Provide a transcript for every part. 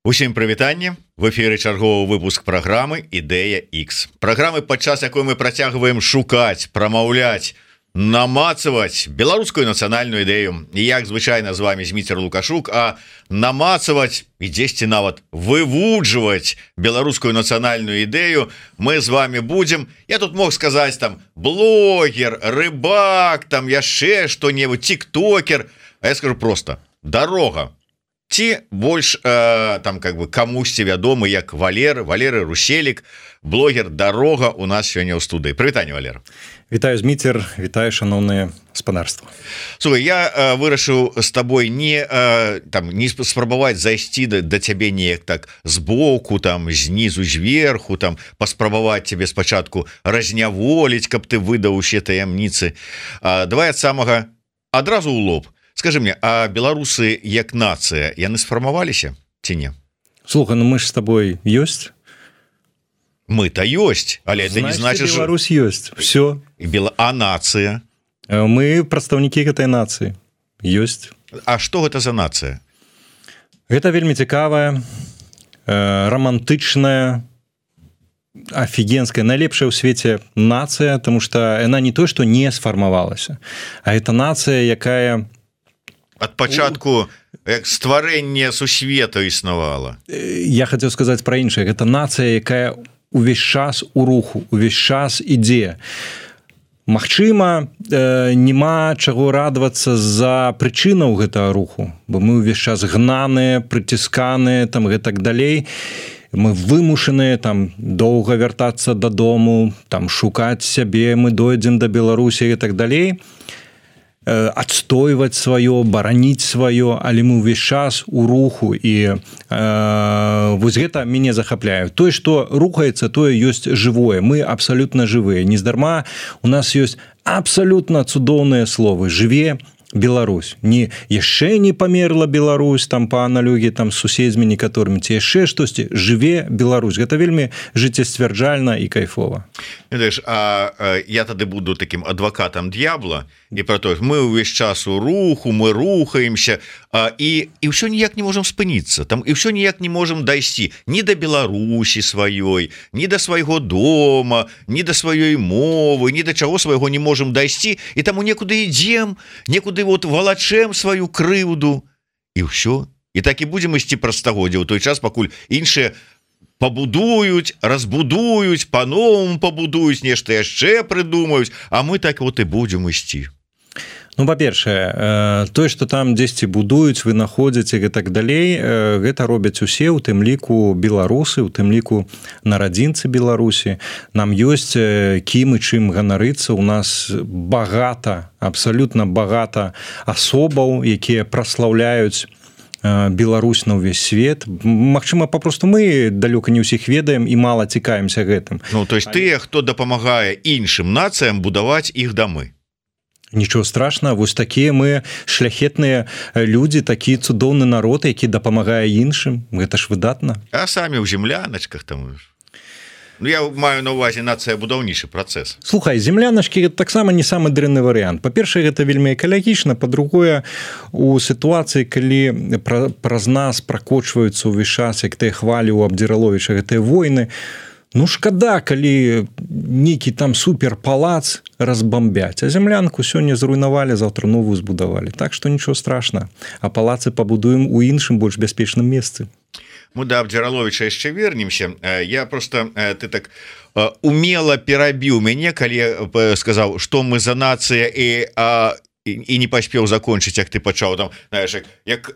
Усім прывітанне. В эфіры чарговы выпуск праграмы Ідэя X. Праграмы, падчас якой мы працягваем шукаць, прамаўляць, намацаваць беларускую нацыянальную ідэю. І як звычайна з вами Зміцер Лукашук, а намацаваць і дзесьці нават вывуджваць беларускую нацыянальную ідэю мы з вами будзем. Я тут мог сказаць там блогер, рыбак, там яшчэ што-небудзь, тиктокер. А я скажу просто: дарога. Ці больш там как бы камусьці вядомы як Валеры Руселік, блогер «Дарога» у нас сёння ў студыі. Прывітанне, Валер. Вітаю, Зміцер, вітаю, шановнае гаспадарства. Слухай, я вырашыў з табой не спрабаваць зайсці да цябе неяк так збоку, там знізу зверху, там паспрабаваць цябе спачатку разняволіць, каб ты выдаў усе таямніцы. Давай ад самага адразу ў лоб. Скажи мне, а беларусы як нацыя, яны сфармаваліся ці не? Слухай, ну мы ж с тобой ёсць. Мы-то ёсць, але это не значит, что Беларусь ёсць. Все. А нацыя? Мы прадстаўнікі гэтай нацыі. Ёсць. А што гэта за нацыя? Гэта вельмі цікавая, романтычная, офигенская, найлепшая ў свеце нацыя, потому что яна не то, што не сфармавалася, а это нацыя, якая ад пачатку як стварэнне сусвету існавала. Я хацеў сказаць пра іншае. Гэта нацыя, якая увесь час у руху, увесь час ідзе. Магчыма, няма чаго радавацца за прычынаў гэтага руху, бо мы ўвесь час гнаныя, прыцісканыя, там гэтак далей. Мы вымушаныя там доўга вяртацца дадому, там шукаць сябе, мы дойдзем да Беларусі і так далей. Адстойваць сваё, бараніць сваё, але мы ўвесь час у руху, і вось гэта мяне захапляе. Тое, што рухаецца, тое ёсць жывое. Мы абсалютна жывыя. Нездарма у нас ёсць абсалютна цудоўныя словы: жыве Беларусь. Не яшчэ не памерла Беларусь там па аналогіі там з суседзьмі некаторымі, ці яшчэ штосьці. Жыве Беларусь. Гэта вельмі жыццесцвярджальна і кайфова. Ведаеш, я тады буду таким адвакатам д'ябла і про то, мы ўвесь час у руху, мы рухаемся, і ўсё ніяк не можам спыніцца. Там і ўсё ніяк не можам дайсці ні да Беларусі сваёй, ні да свайго дома, ні да сваёй мовы, ні да чаго свайго не можам дайсці, і таму некуды ідзем, некуды вот валачэм сваю крыўду, і ўсё. І так і будзем ісці праз стагоддзя ў той час, пакуль іншыя пабудуюць, разбудуюць, па-новаму пабудуюць, нешта яшчэ прыдумаюць, а мы так вот і будзем ісці. Ну, па-першае, тое, што там дзесьці будуюць, вынаходзяць і гэтак далей, гэта робяць усе, у тым ліку беларусы, у тым ліку нарадзінцы Беларусі. Нам ёсць кім і чым ганарыцца. У нас багата, абсалютна багата асобаў, якія праслаўляюць Беларусь на ўвесь свет. Магчыма, папросту мы далёка не ўсіх ведаем і мала цікаемся гэтым. Ну, то есть тыя, хто дапамагае іншым нацыям будаваць іх дамы. Нічого страшного, вось такія мы шляхетныя людзі, такі цудоўны народ, які дапамагае іншым. Гэта ж выдатна. А самі ў земляначках там... Ну, я маю на ўвазе нацыя будаўнічы працэс. Слухай, земляначкі гэта таксама не самы дрэнны варыянт. Па-першае, гэта вельмі экалагічна, па-другое, у сітуацыі, калі праз нас пракочваюцца ўвесь час, як тыя хвалі ў Абдзіраловіча, гэтыя войны, ну шкада, калі нейкі там суперпалац разбамбяць, а землянку сёння зруйнавалі, заўтра новую збудавалі. Так што нічого страшна. А палацы пабудуем у іншым, больш бяспечным месцы. Мы да Абдзіраловіча яшчэ вернемся. Я просто, ты так умела перабіў мяне, калі сказаў, што мы за нацыя, і не паспеў закончыць, як ты пачаў там, знаеш, як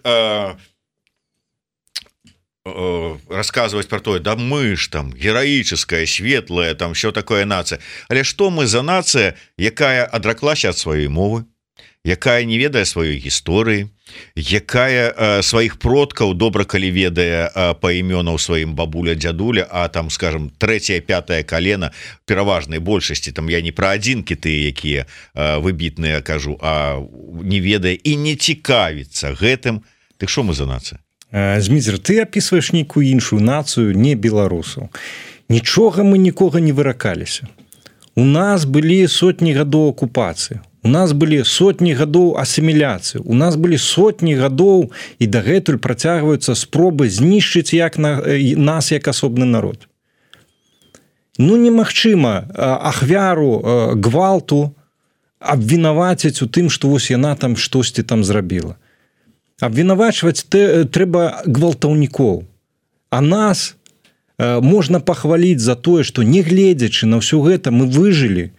рассказывать про то, да мы ж там героическая, светлая, там все такое нация. Але што мы за нация, якая адраклася ад сваёй мовы, якая не ведае сваёй гісторыі, якая сваіх продкаў добра калі ведае па імёнаў сваім бабуля, дзядуля, а там, скажем, трэцяе, пятае калена, пераважнай большасці, там я не пра адзінкі тыя, якія выбітныя кажу, а не ведае і не цікавіцца гэтым. Ты што мы за нацыя? Зміцер, ты апісваеш нейкую іншую нацыю, не беларусаў. Нічога мы нікога не выракаліся. У нас былі сотні гадоў акупацыі. У нас былі сотні гадоў асіміляцыі, у нас былі сотні гадоў і дагэтуль працягваюцца спробы знішчыць нас як асобны народ. Ну, немагчыма ахвяру гвалту абвінаваціць у тым, што вось яна там штосьці там зрабіла. Абвінавачваць трэба гвалтаўнікоў. А нас можна пахваліць за тое, што не гледзячы на ўсё гэта мы выжылі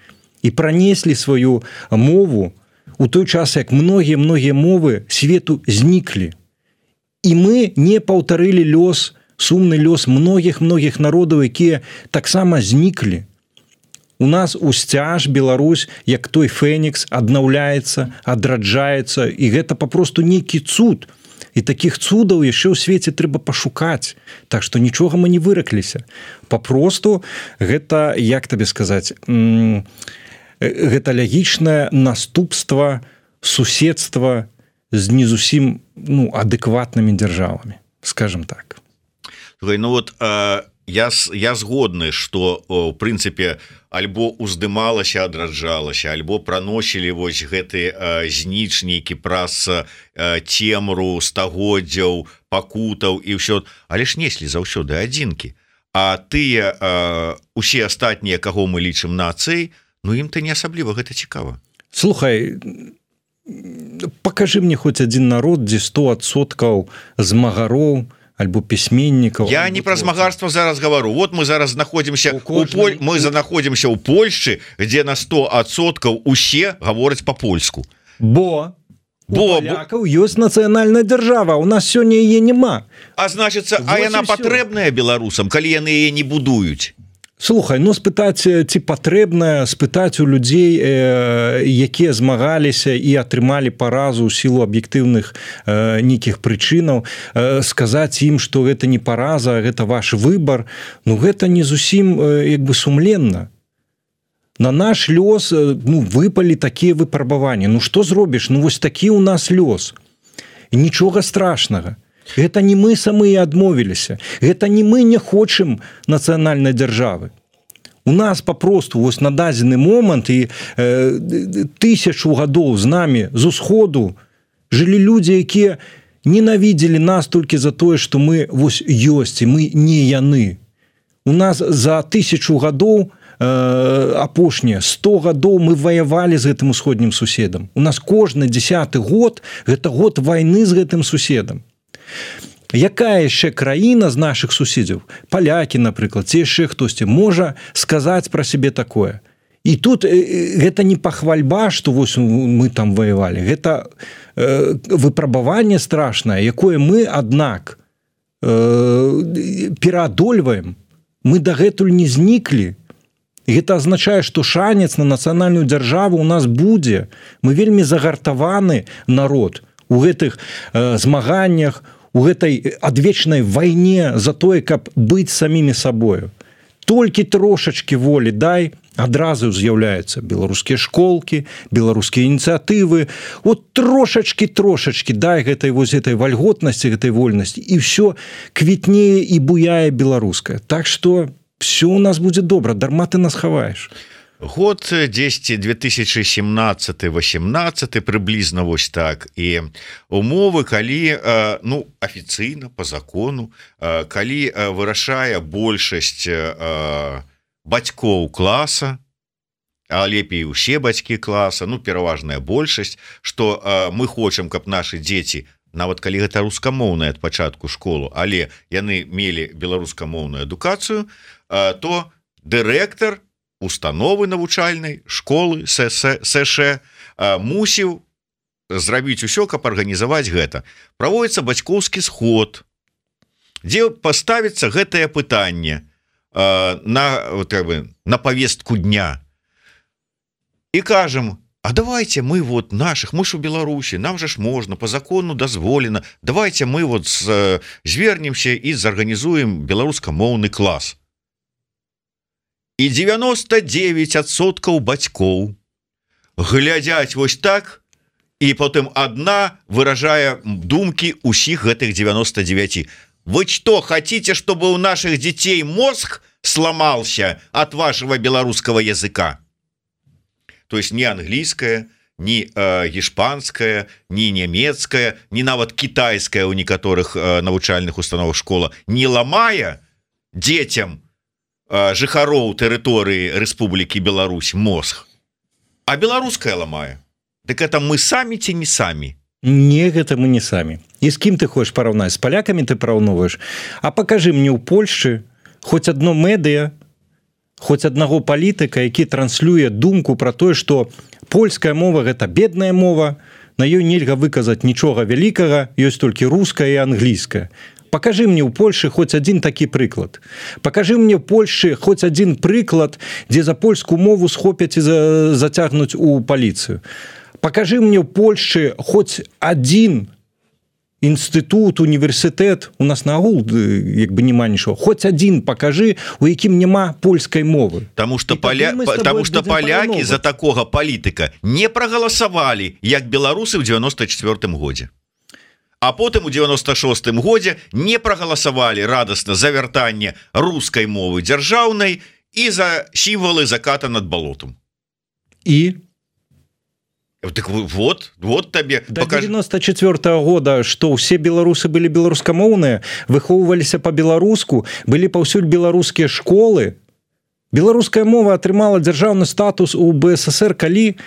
і пранеслі сваю мову у той час, як многія мовы свету зніклі. І мы не паўтарылі сумны лёс многіх народаў, якія таксама зніклі. У нас усцяж Беларусь, як той фэнікс, аднаўляецца, адраджаецца, і гэта папросту нейкі цуд. І такіх цудаў яшчэ ў свеце трэба пашукаць. Так што нічога мы не выракліся. Папросту гэта, як табе сказаць, гэта лагічнае наступства суседства з не зусім адэкватнымі дзяржавамі, скажем так. Ну вот я згодны, што в прынцыпе альбо уздымалася, адраджалася, альбо праносілі вось гэты знічнікі праз цемру стагоддзяў, пакутаў і ўсё, але ж неслі заўсёды адзінкі. А тыя усе астатнія, каго мы лічым нацыяй, ну ім-то не асабліва гэта цікава. Слухай, пакажы мне хоць адзін народ, дзе 100% змагароў альбо пісьменнікаў. Я не пра змагарства зараз гавару. Вот мы зараз знаходзімся ў Польшчы, дзе на 100% усе гавораць па-польску. Бо палякаў ёсць нацыянальная дзяржава, у нас сёння яе няма. А значыцца, а яна патрэбная беларусам, калі яны яе не будуюць? Слухай, спытаць, ці патрэбна спытаць у людзей, якія змагаліся і атрымалі паразу ў сілу аб'ектыўных нейкіх прычынаў, сказаць ім, што гэта не параза, гэта ваш выбар, гэта не зусім сумленна. На наш лёс выпалі такія выпрабаванні. Што зробіш? Вось такі ў нас лёс. І нічога страшнага. Гэта не мы самыя адмовіліся. Гэта не мы не хочам нацыянальнай дзяржавы. У нас папросту вось на дадзены момант і 1000 гадоў з намі з усходу жылі людзі, якія ненавідзелі нас толькі за тое, што мы вось ёсць, і мы не яны. У нас за 1000 гадоў апошнія 100 гадоў мы ваявалі з гэтым усходнім суседам. У нас кожны 10-ы год гэта год вайны з гэтым суседам. Якая яшчэ краіна з нашых суседзяў, палякі, напрыклад, ці яшчэ хтосьці, можа сказаць пра сябе такое? І тут гэта не пахвальба, што вось мы там ваявалі. Гэта выпрабаванне страшнае, якое мы, аднак, пераадольваем. Мы дагэтуль не зніклі. Гэта азначае, што шанец на нацыянальную дзяржаву у нас будзе. Мы вельмі загартаваны народ у гэтых змаганнях, у гэтай адвечнай вайне за тое, каб быць самімі сабою. Толькі трошачкі волі дай, адразу з'яўляюцца беларускія школкі, беларускія ініцыятывы. Вот трошачкі дай гэтай вальготнасці, гэтай вольнасці, і ўсё квітнее і буяе беларускае. Так што все у нас будзе добра, дарма ты нас хаваеш. Год 10 2017-18 прыблізна вось так, і умовы, калі афіцыйна по закону, калі вырашае большасць бацькоў класа, а лепей усе бацькі класа, пераважная большасць, што мы хочам, каб нашы дзеці, нават калі гэта рускамоўная ад пачатку школу, але яны мелі беларускамоўную адукацыю, то дырэктар установы навучальнай школы СШ мусіў зрабіць усё, каб арганізаваць гэта. Праводзіцца бацькоўскі сход, дзе паставіцца гэтае пытанне на павестку дня. І кажам, а давайте мы наших, мы ж у Беларусі, нам же ж можна, по закону дазволена, давайте мы звернемся і зарганізуем беларускамоўны клас. І 99% бацькоў глядзяць вось так, і потым одна выражае думкі ўсіх гэтых 99. Вы что, хотите, чтобы у наших детей мозг сломался от вашего белорусского языка? То есть не английское, ні іспанская, ні нямецкая, ні нават кітайская ў некаторых навучальных установах школа не ламае дзецям жыхароў тэрыторыі Рэспублікі Беларусь мозг, а беларуская ламае. Дык это мы самі ці не самі? Не, гэта мы не самі. І з кім ты хочаш параўнаць? З палякамі ты параўноўваеш? А пакажы мне ў Польшчы хоць адно медыа, хоць аднаго палітыка, які транслюе думку пра тое, што польская мова – гэта бедная мова, на ёй нельга выказаць нічога вялікага, ёсць толькі руская і англійская. Пакажы мне ў Польшы хоць адзін такі прыклад. Пакажы мне ў Польшы хоць адзін прыклад, дзе за польскую мову схопяць і зацягнуць у паліцыю. Пакажы мне ў Польшчы хоць адзін інстытут, універсітэт, у нас нагул як бы няма нічого, хоць адзін пакажы, у якім няма польскай мовы. Таму што палякі за такога палітыка не прагаласавалі, як беларусы ў 94-м годзе. А потым у 96-м годзе не прагаласавалі радасна за вяртанне рускай мовы дзяржаўнай і за сімвалы заката над балотам. І? Так вот табе до 94-го года, што ўсе беларусы былі беларускамоўныя, выхоўваліся па-беларуску, былі паўсюль беларускія школы. Беларуская мова атрымала дзяржаўны статус у БССР калі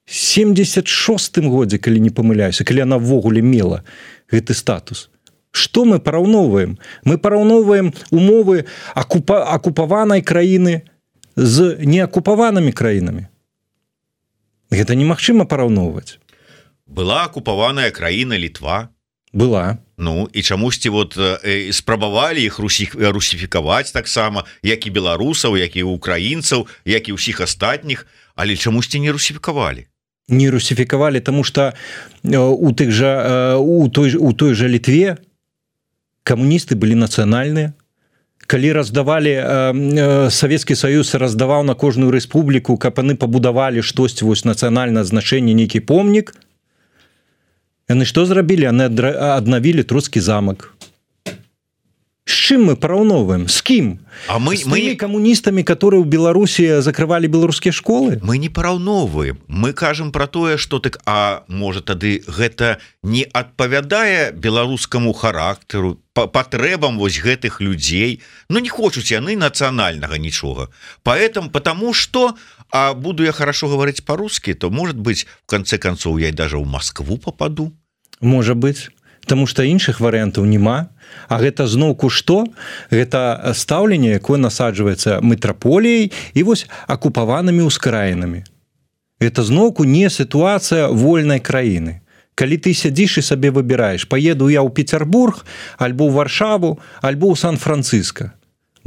76-м годзе, калі не памыляюся, калі она ввогуле мела гэты статус. Што мы параўноўваем? Мы параўноўваем умовы акупаванай краіны з неакупаванымі краінамі. Гэта немагчыма параўноўваць. Была акупаваная краіна Літва. Была. Ну, і чамусьці вот спрабавалі іх русіфікаваць таксама, як і беларусаў, як і украінцаў, як і ўсіх астатніх, але чамусьці не русіфікавалі. Не русіфікавалі, таму што у той жа Літве камуністы былі нацыянальныя. Калі раздавалі, Савецкі Саюз раздаваў на кожную рэспубліку, каб яны пабудавалі штосьці, вось нацыянальнае значэнне, нейкі помнік, яны што зрабілі? Яны аднавілі Троцкі замак. З чым мы параўноўваем? З кім? З тымі камуністамі, которые ў Беларусі закрывалі беларускія школы? Мы не параўноўваем. Мы кажам пра тое, што так, а можа тады гэта не адпавядае беларускаму характару, патрэбам вось гэтых людзей. Ну, не хочуць яны нацыянальнага нічога. Потому что, а буду я хорошо говорить по-русски, то, может быть, в конце концов, я даже в Москву попаду. Можа быть. Таму што іншых варыянтаў няма. А гэта зноўку што? Гэта стаўленне, якое насаджваецца метраполіяй і вось акупаванымі ўскраінамі. Гэта зноўку не сітуацыя вольнай краіны. Калі ты сядзіш і сабе выбіраеш, паеду я ў Петербург, альбо ў Варшаву, альбо ў Сан-Франциско,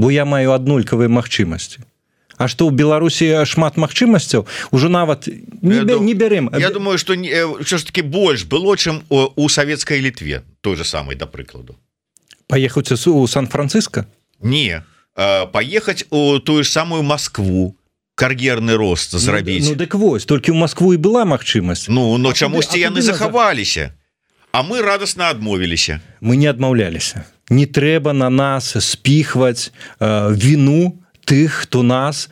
бо я маю аднолькавыя магчымасці. А што ў Беларусі шмат магчымасцяў, ужо нават не бярем. Я думаю, што ўсё ж таки больш было, чым у савецкай Літве, той же самай, да прыкладу. Паехаць у Сан-Франциско? Не, паехаць у тую ж самую Москву, кар'ерны рост зрабіць. Ну дык вось, толькі ў Москву і была магчымасць. Ну, но чамусьці яны захаваліся, а мы радасна адмовіліся. Мы не адмаўляліся. Не трэба на нас спіхваць віну тых, хто нас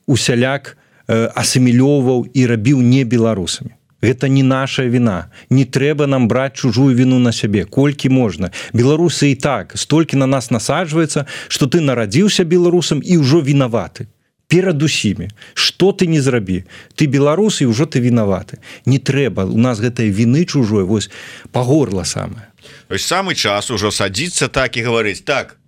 усяляк асімілёўваў і рабіў не беларусамі. Гэта не наша віна. Не трэба нам браць чужую віну на сябе, колькі можна. Беларусы і так столькі на нас насаджваецца, што ты нарадзіўся беларусам і ўжо вінаваты. Перад усімі. Што ты не зрабі? Ты беларус і ўжо ты вінаваты. Не трэба. У нас гэтай віны чужой вось па горла самае. То есть самы час ужо садзіцца так і гаварыць: так,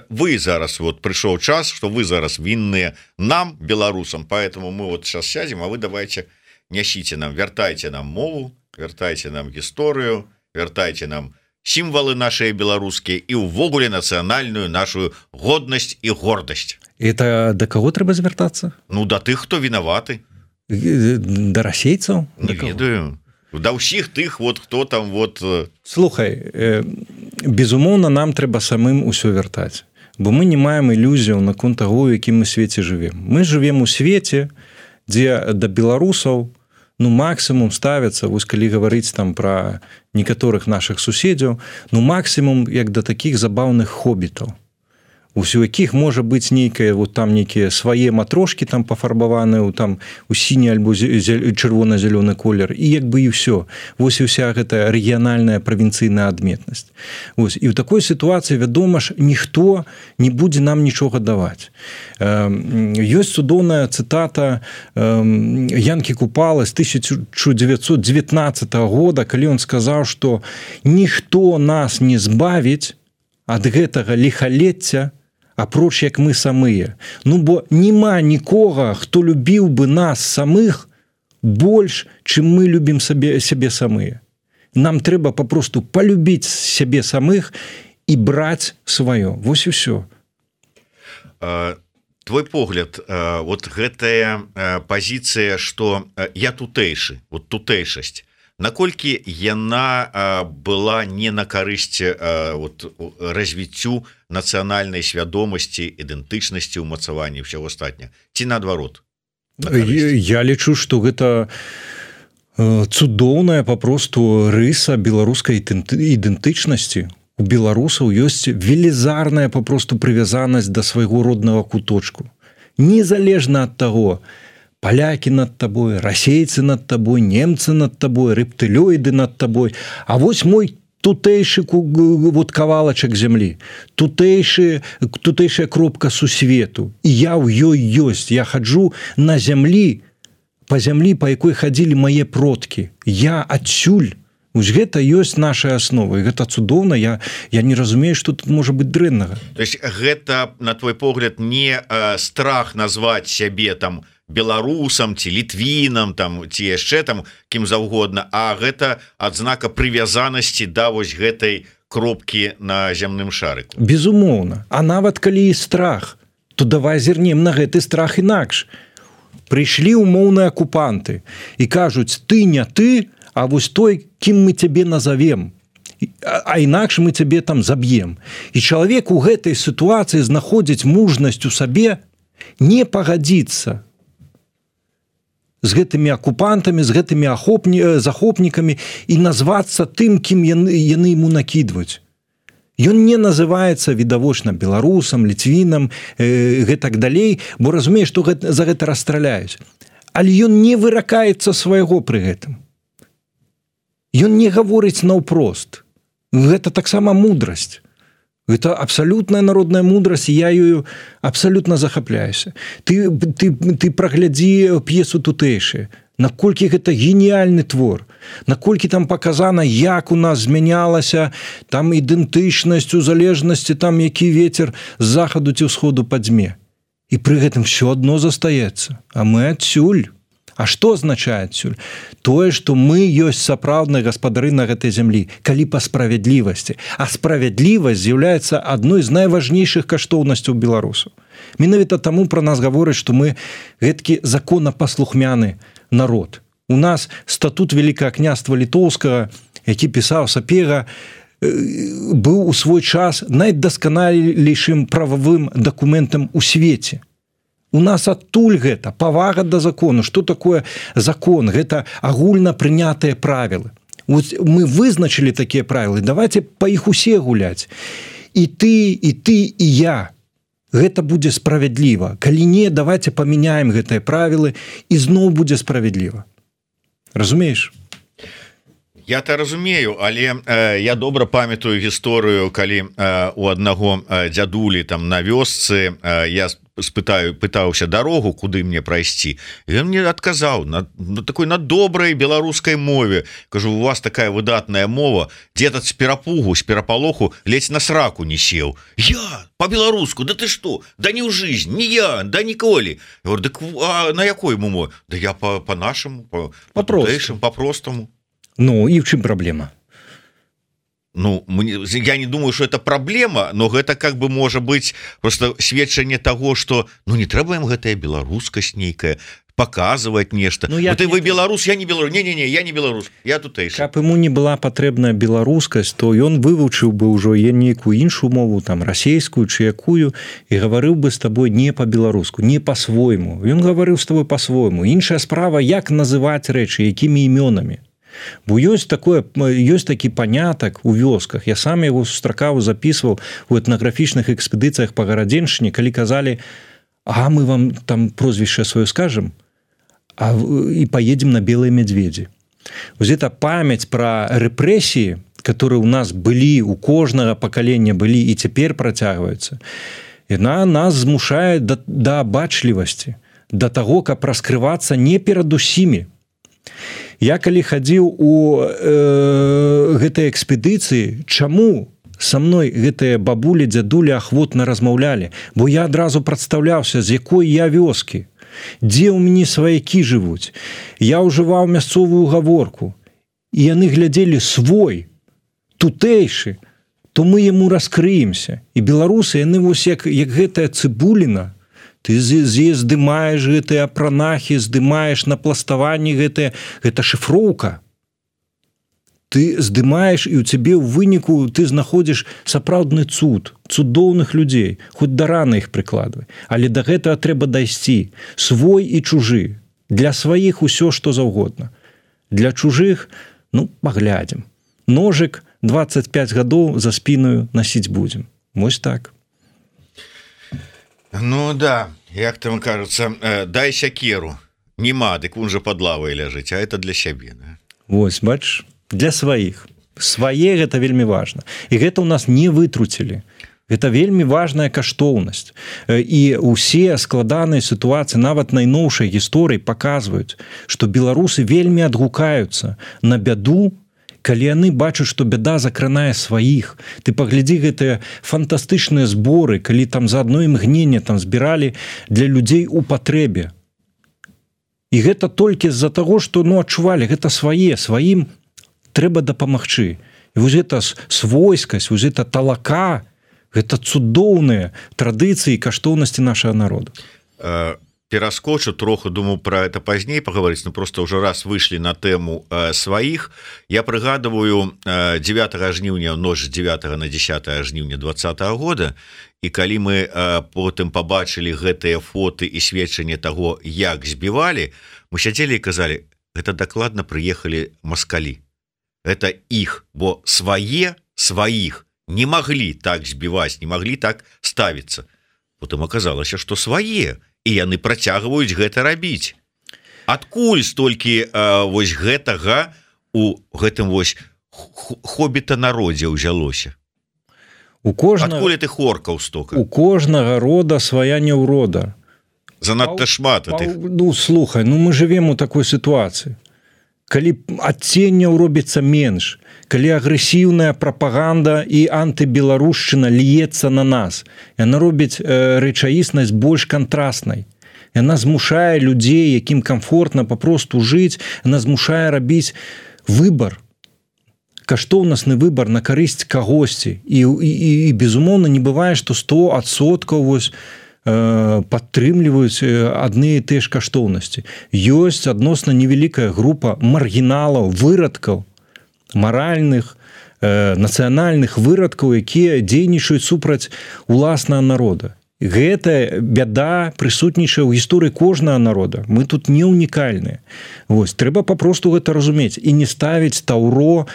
вы зараз, вот пришел час, что вы зараз винные нам, белорусам, поэтому мы вот сейчас сядем, а вы давайте нясите нам, вяртайте нам мову, вяртайте нам историю, вяртайте нам символы наши белорусские и увогуле национальную нашу годность и гордость. Это до кого трэба звяртацца? Ну, до тых, хто вінаваты. Да расейцаў? Не ведаю. Да ўсіх тых, вот хто там вот... Слухай, безумоўна, нам трэба самым усё вяртаць, бо мы не маем ілюзіяў наконт таго, у якім мы свеце жывем. Мы жывем у свеце, дзе да беларусаў ну максімум ставяцца, вось калі гаварыць там пра некаторых нашых суседзяў, ну максімум як да такіх забаўных хобітаў. у якіх можа быць нейкае вот там нейкія свае матрошкі там пафарбаваныя там у сіні альбо чырвона-зялёны колер і як бы і ўсё. Вось і ўся гэтая рэгіянальная правінцыйная адметнасць. Вось і ў такой сітуацыі вядома ж ніхто не будзе нам нічога даваць. Ёсць цудоўная цытата Янкі Купала з 1919 года, калі ён сказаў, што ніхто нас не збавіць ад гэтага ліхалецця, апроч як мы самыя. Ну, бо нема нікога, хто любіў бы нас самых больш, чым мы любім сябе самыя. Нам трэба папросту палюбіць сябе самых і браць сваё. Вось і ўсё. Твой погляд, вот гэтая пазіцыя, што я тутэйшы, вот тутэйшасць, наколькі яна была не на карысць вот, развіццю нацыянальнай свядомасці, ідэнтычнасці, умацавання ўсяго астатняга, ці наадварот? Я лічу, што гэта цудоўная папросту рыса беларускай ідэнтычнасці. У беларусаў ёсць велізарная папросту прывязанасць да свайго роднага куточку. Незалежна ад таго, палякі над табой, расейцы над табой, немцы над табой, рэптылёіды над табой. А вось мой тутэйшы вот кавалачак зямлі, тутэйшая кропка сусвету. І я ў ёй ёсць. Я хаджу на зямлі, па зямлі, па якой хадзілі мае продкі. Я адсюль. Вось гэта ёсць наша аснова. І гэта цудоўна. Я не разумею, што тут можа быць дрэннага. То есть гэта, на твой погляд, не страх назваць сябе там беларусам ці літвінам там ці яшчэ там кім заўгодна, а гэта адзнака прывязанасці да вось гэтай кропкі на зямным шарыку. Безумоўна. А нават калі і страх, то давай зірнем на гэты страх інакш. Прыйшлі умоўныя акупанты і кажуць: ты не ты, а вось той, кім мы цябе назовем, а інакш мы цябе там заб'ем. І чалавек у гэтай сітуацыі знаходзіць мужнасць у сабе не пагадзіцца з гэтымі акупантамі, з гэтымі захопнікамі і назвацца тым, кім яны ему накідваюць. Ён не называецца відавочна беларусам, літвінам, гэтак далей, бо разумее, што за гэта расстраляюць. Але ён не выракаецца свайго пры гэтым. Ён не гаворыць наўпрост. Гэта таксама мудрасць. Гэта абсалютная народная мудрасць, я ёю абсалютна захапляюся. Ты праглядзі п'есу тутэйшыя. Наколькі гэта геніяльны твор. Наколькі там паказана, як у нас змянялася там ідэнтычнасць, у залежнасці там, які вецер з захаду ці ўсходу падзьме. І пры гэтым все адно застаецца. А мы адсюль. А што азначае адсюль? Тое, што мы ёсць сапраўдныя гаспадары на гэтай зямлі, калі па справядлівасці. А справядлівасць з'яўляецца адной з найважнейшых каштоўнасцяў беларусаў. Менавіта таму пра нас гавораць, што мы гэткі законапаслухмяны народ. У нас статут Вялікага княства Літоўскага, які пісаў Сапега, быў у свой час найдасканалейшым прававым дакументам у свеце. У нас адтуль гэта павага да закону. Што такое закон? Гэта агульна прынятыя правілы. Мы вызначылі такія правілы. Давайте па іх усе гуляць. І ты, і я. Гэта будзе справядліва. Калі не, давайте памяняем гэтыя правілы, і зноў будзе справядліва. Разумееш? Я-то разумею, але я добра памятаю гісторыю, калі у аднаго дзядулі там на вёсцы я пытаўся дарогу, куды мне прайсці. І ён мне адказаў на такой на добрай беларускай мове. Кажу, у вас такая выдатная мова, дед з перапугу, з перапалоху ледзь на сраку не сеў. Я по-беларуску, да ты што? Да не ў жизнь, не я, да ніколі. Я говорю, дык а на якой мове? Да я по-нашаму, по-простаму. Ну, і в чым праблема? Ну, я не думаю, что это проблема, но гэта как бы можа быть просто сведчанне того, что ну не трэба ім гэтая беларускасць нейкая показывать нешта. Ну, вот вы беларус, я не беларус. Не, я не беларус, я тутэйшы. Каб ему не была патрэбная беларускасць, то ён вывучыў бы ўжо нейкую іншую мову, там расейскую чи якую, і гаварыў бы з табой не по-беларуску, не по-свойму. Ён гаварыў з табой по-свойму. Іншая справа, як называць рэчы, якімі імёнамі. Бо ёсць такі панятак у вёсках. Я сам яго сустракаў, записываў у этнаграфічных экспедыцыях па Гарадзеншчыне, калі казалі: а мы вам там прозвішча сваё скажем, і поедем на белые медведzi. Вот эта память про рэпрэсіі, которые у нас былі, у кожнага пакалення былі і цяпер працягваюцца, яна нас змушае да бачлівасці, да таго, каб раскрывацца не перад усімі. Я калі хадзіў у гэтай экспедыцыі, чаму са мной гэтыя бабулі, дзядулі ахвотна размаўлялі? Бо я адразу прадстаўляўся, з якой я вёскі, дзе ў мяне сваякі жывуць. Я ўжываў мясцовую гаворку, і яны глядзелі свой, тутэйшы, то мы яму раскрыемся. І беларусы, яны вось як гэтая цыбуліна, ты здымаеш гэтыя апранахі, здымаеш напластаванні гэта шыфроўка. Ты здымаеш, і ў цябе ў выніку ты знаходзіш сапраўдны цуд, цудоўных людзей, хоць да раны іх прыкладвай. Але да гэтага трэба дайсці. Свой і чужы. Для сваіх усё, што заўгодна. Для чужых, паглядзім. Ножык 25 гадоў за спіною насіць будзем. Вось так. Да, як там кажуцца, дай сякеру. Нема, дык вон жа пад лавай ляжыць, а это для сябе. Да? Вось, бач, для сваіх. Свае гэта вельмі важна. І гэта ў нас не вытруцілі. Гэта вельмі важная каштоўнасць. І ўсе складаныя сітуацыі, нават найноўшай гісторыі паказваюць, што беларусы вельмі адгукаюцца на бяду, калі яны бачаць, што бяда закранае сваіх. Ты паглядзі гэтыя фантастычныя зборы, калі там за адно імгненне там збіралі для людзей у патрэбе. І гэта толькі з-за таго, што адчувалі, гэта сваім трэба дапамагчы. І вось гэта свойскасць, вось гэта талака, гэта цудоўныя традыцыі і каштоўнасці нашага народа. Пераскочу троху, думаю, про это пазней паговорыць, просто ўжо раз выйшлі на тэму сваіх. Я прыгадываю 9 жніўня, ноч 9 на 10 жніўня 20 года, і калі мы потым пабачылі гэтыя фоты і сведчанне таго, як збівалі, мы сядзелі і казалі: гэта дакладна прыехалі маскалі. Это іх, бо сваіх не маглі так збіваць, не маглі так ставіцца. Потым аказалася, што свае, і яны працягваюць гэта рабіць. Адкуль столькі вось гэтага у гэтым вось хобіта народзе ўзялося? Адкуль ты хоркаў стока? У кожнага рода свая няўрода. Занадта шмат тых. Слухай, мы жывем у такой сітуацыі. Калі адценняў робіцца менш, калі агрэсіўная прапаганда і антыбеларушчына льецца на нас, яна робіць рэчаіснасць больш кантраснай. Яна змушае людзей, якім камфортна папросту жыць, яна змушае рабіць выбар, каштоўнасны выбар на карысць кагосьці. І безумоўна, не бывае, што 100% вось падтрымліваюць адны і тыя ж каштоўнасці. Ёсць адносна невялікая група маргіналаў, вырадкаў, маральных, нацыянальных вырадкаў, якія дзейнічаюць супраць уласнага народа. Гэта бяда прысутнічае ў гісторыі кожнага народа. Мы тут не ўнікальныя. Вось, трэба папросту гэта разумець і не ставіць таўро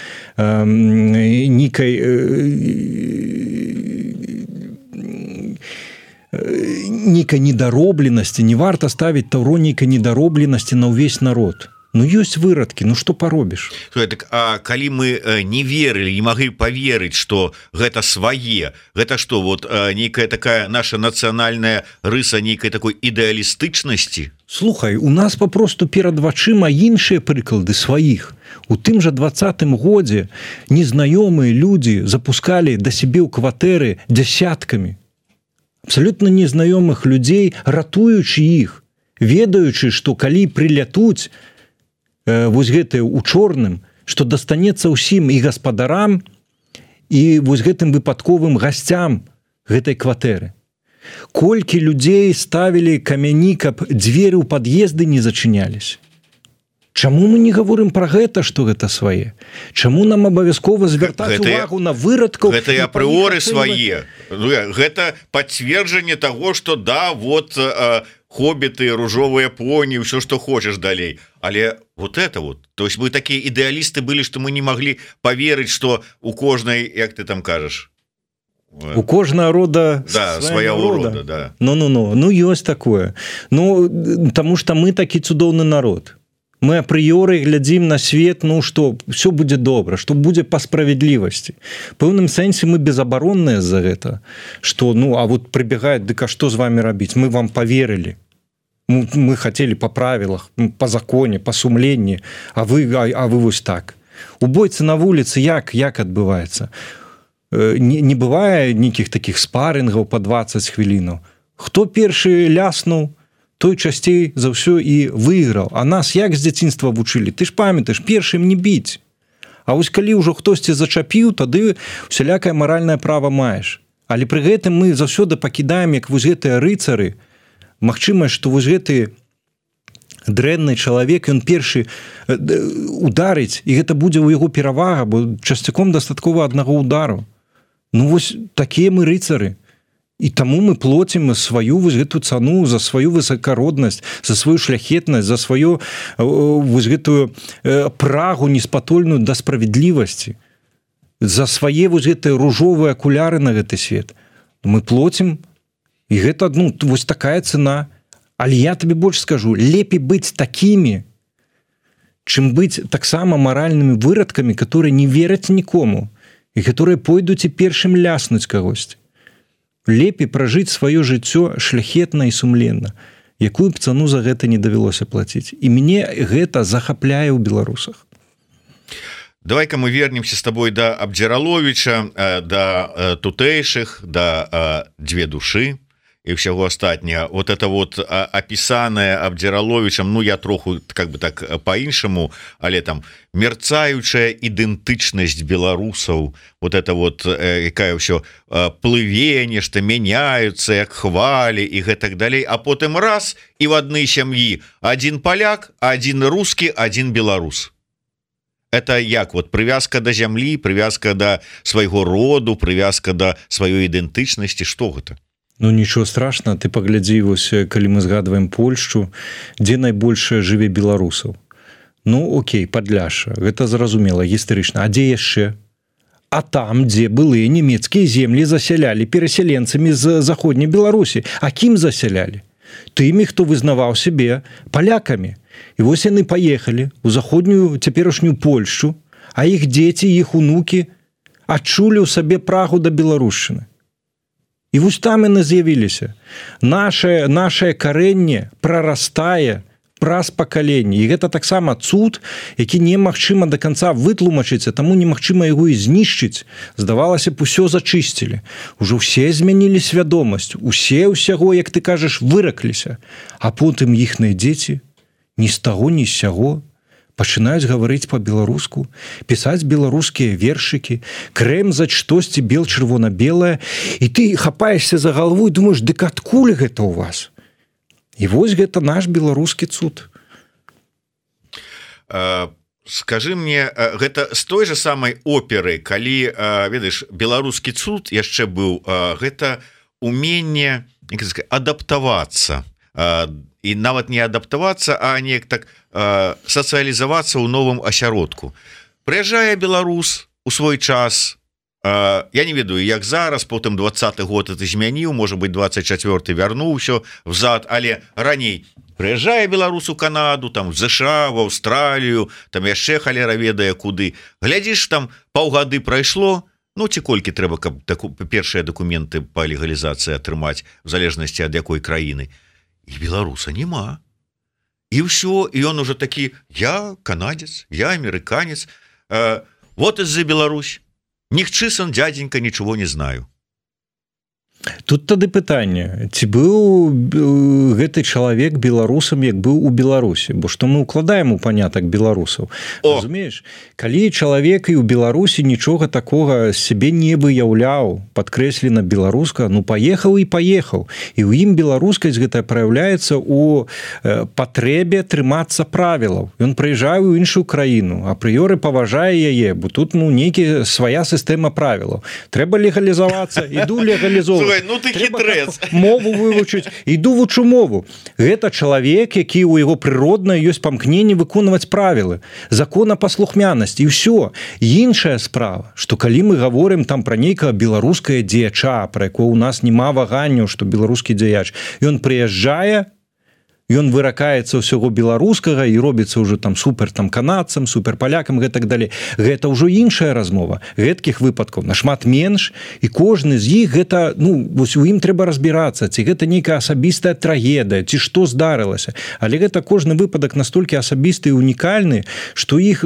нейкай недаробленасці, не варта ставіць таўро нейкай недаробленасці на ўвесь народ. Ёсць вырадкі, што паробіш? А калі мы не верылі, не маглі паверыць, што гэта свае, гэта што, вот нейкая такая наша нацыянальная рыса нейкай такой ідэалістычнасці? Слухай, у нас папросту перад вачыма іншыя прыклады сваіх. У тым жа 20-м годзе незнаёмыя людзі запускалі да сябе ў кватэры дзясяткамі. Абсалютна незнаёмых людзей, ратуючы іх, ведаючы, што калі прылятуць вось гэтыя ў чорным, што дастанецца ўсім і гаспадарам, і вось гэтым выпадковым гасцям гэтай кватэры. Колькі людзей ставілі камяні, каб дзверы ў пад'езды не зачыняліся? Чаму мы не гаворым пра гэта, што гэта свае? Чаму нам абавязкова звяртаць увагу на вырадкаў? Гэта і апрыоры свае. Гэта пацверджанне таго, што да, вот хоббіты, ружовыя поні, ўсё што хочаш далей. Але вот это вот, то есть мы такія ідэалісты былі, што мы не маглі поверыць, што у кожнай, як ты там кажаш, у кожнага рода свая урода, да. Ну ёсць такое. Ну таму што мы такі цудоўны народ. Мы апрыёры глядзім на свет, ну што все будзе добра, што будзе па справядлівасці. Пэўным сэнсе мы безабаронныя за гэта, што ну а вот прыбегаюць, дык а што з вами рабіць? Мы вам поверылі. Мы хотели по правілах, по законе, по сумленні, а вы вось так. У бойцы на вуліцы як адбываецца? Не бывае нейкіх такіх спарынгаў по 20 хвілінаў. Хто першы ляснуў, той часцей за ўсё і выйграў. А нас як з дзяцінства вучылі? Ты ж памятаеш, першым не біць. А вось калі ўжо хтосьці зачапіў, тады усялякае маральнае права маеш. Але пры гэтым мы заўсёды пакідаем, як вось гэтыя рыцары, магчымасць, што вось гэты дрэнны чалавек, ён першы ударыць, і гэта будзе ў яго перавага, бо часцяком дастаткова аднаго удару. Ну вось такія мы рыцары. І таму мы плоцім сваю вось гэту цану за сваю высакароднасць, за сваю шляхетнасць, за сваю вось гэтую прагу неспатольную да справядлівасці, за свае вось гэтыя ружовыя акуляры на гэты свет. Мы плоцім, і гэта ну вось такая цана. Але я табе больш скажу, лепей быць такімі, чым быць таксама маральнымі вырадкамі, которые не вераць нікому і которые пойдуць і першым ляснуць кагосьці. Лепей пражыць сваё жыццё шляхетна і сумленна, якую б цану за гэта не давялося плаціць. І мне гэта захапляе ў беларусах. Давай-ка мы вернемся с тобой да Абдзіраловіча, да тутэйшых, да дзве душы і ўсяго астатняга. Вот это вот опісанае Абдзіраловічам, ну я троху как бы так по-іншаму, але там мерцаючая ідэнтычнасць беларусаў, вот это вот якая ўсё плыве, нешта мяняюцца, як хвалі і гэтак далей, а потым раз і в адной сям'і адзін паляк, адзін рускі, адзін беларус. Это як вот прывязка да зямлі, прывязка да свайго роду, прывязка да сваёй ідэнтычнасці, што гэта? Ну нічого страшного, ты паглядзі вось калі мы згадваем Польшчу, дзе найбольш жыве беларусаў. Ну окей, Падляшша, гэта зразумела гістарычна. А дзе яшчэ? А там, дзе былыя нямецкія землі засялялі перасяленцамі з заходняй Беларусі. А кім засялялі? Тымі, хто вызнаваў сябе палякамі. І вось яны паехалі ў заходнюю цяперашнюю Польшчу, а іх дзеці, іх унукі адчулі ў сабе прагу да беларушчыны. І вось там яны з'явіліся. Нашае карэнне прарастае праз пакаленне. І гэта таксама цуд, які немагчыма да канца вытлумачыць, а таму немагчыма яго і знішчыць. Здавалася б, усё зачысцілі. Ужо ўсе змянілі свядомасць, усе ўсяго, як ты кажаш, выракліся. А потым іхныя дзеці ні з таго, ні з сяго пачынаюць гаварыць па-беларуску, пісаць беларускія вершыкі, крэмзаць штосьці бел-чырвона-белае, і ты хапаешся за галаву і думаеш, дык адкуль гэта ў вас? І вось гэта наш беларускі цуд. Скажы мне, гэта з той же самай оперы, калі, ведаеш, беларускі цуд яшчэ быў, гэта уменне адаптавацца, і нават не адаптавацца, а неяк так сацыялізавацца ў новым асяродку. Прыязджае беларус у свой час, я не ведаю, як зараз, потым 20-й год это змяніў, можа быть, 24-й вярнуў усё взад, але раней прыязджае беларус у Канаду, там в ЗША, в Аўстралію, там яшчэ халера ведае куды. Глядзіш, там паўгады прайшло, ну ці колькі трэба, каб першыя дакументы па легалізацыі атрымаць, в залежнасці ад якой краіны. І беларуса няма. І ўсё, і ён уже такі, я канадец, я амерыканец, вот из-за Беларусь. Нихчисан, дяденька, ничего не знаю. Тут тады пытанне, ці быў гэты чалавек беларусам, як быў у Беларусі, бо што мы укладаем у панятак беларусаў. Разумееш, калі чалавек і ў Беларусі нічога такога сябе не выяўляў, падкрэслена беларуска, ну паехаў і паехаў. І ў ім беларускасць гэта праяўляецца ў патрэбе трымацца правілаў. Ён прыязджае ў іншую краіну, апрыёры паважае яе, бо тут ну нейкі свая сістэма правілаў. Трэба легалізавацца, іду легалізоўваць. Слухай, ну ты хітрэц. Мову вывучыць, іду вучу мову. Гэта чалавек, які ў яго прыродна ёсць памкненне выконваць правілы, законапаслухмянасць і ўсё. Іншая справа, што калі мы гаворым там пра нейкага беларускае дзеяча, пра якое ў нас няма ваганняў, што беларускі дзеяч, ён прыязджае, ён выракаецца ўсяго беларускага і робіцца ўжо там супер там канадцам, супер палякам і так далей. Гэта ўжо іншая размова. Гэткіх выпадкаў нашмат менш, і кожны з іх гэта, ну, вось у ім трэба разбірацца, ці гэта нейкая асабістая трагедыя, ці што здарылася. Але гэта кожны выпадак настолькі асабісты і унікальны, што іх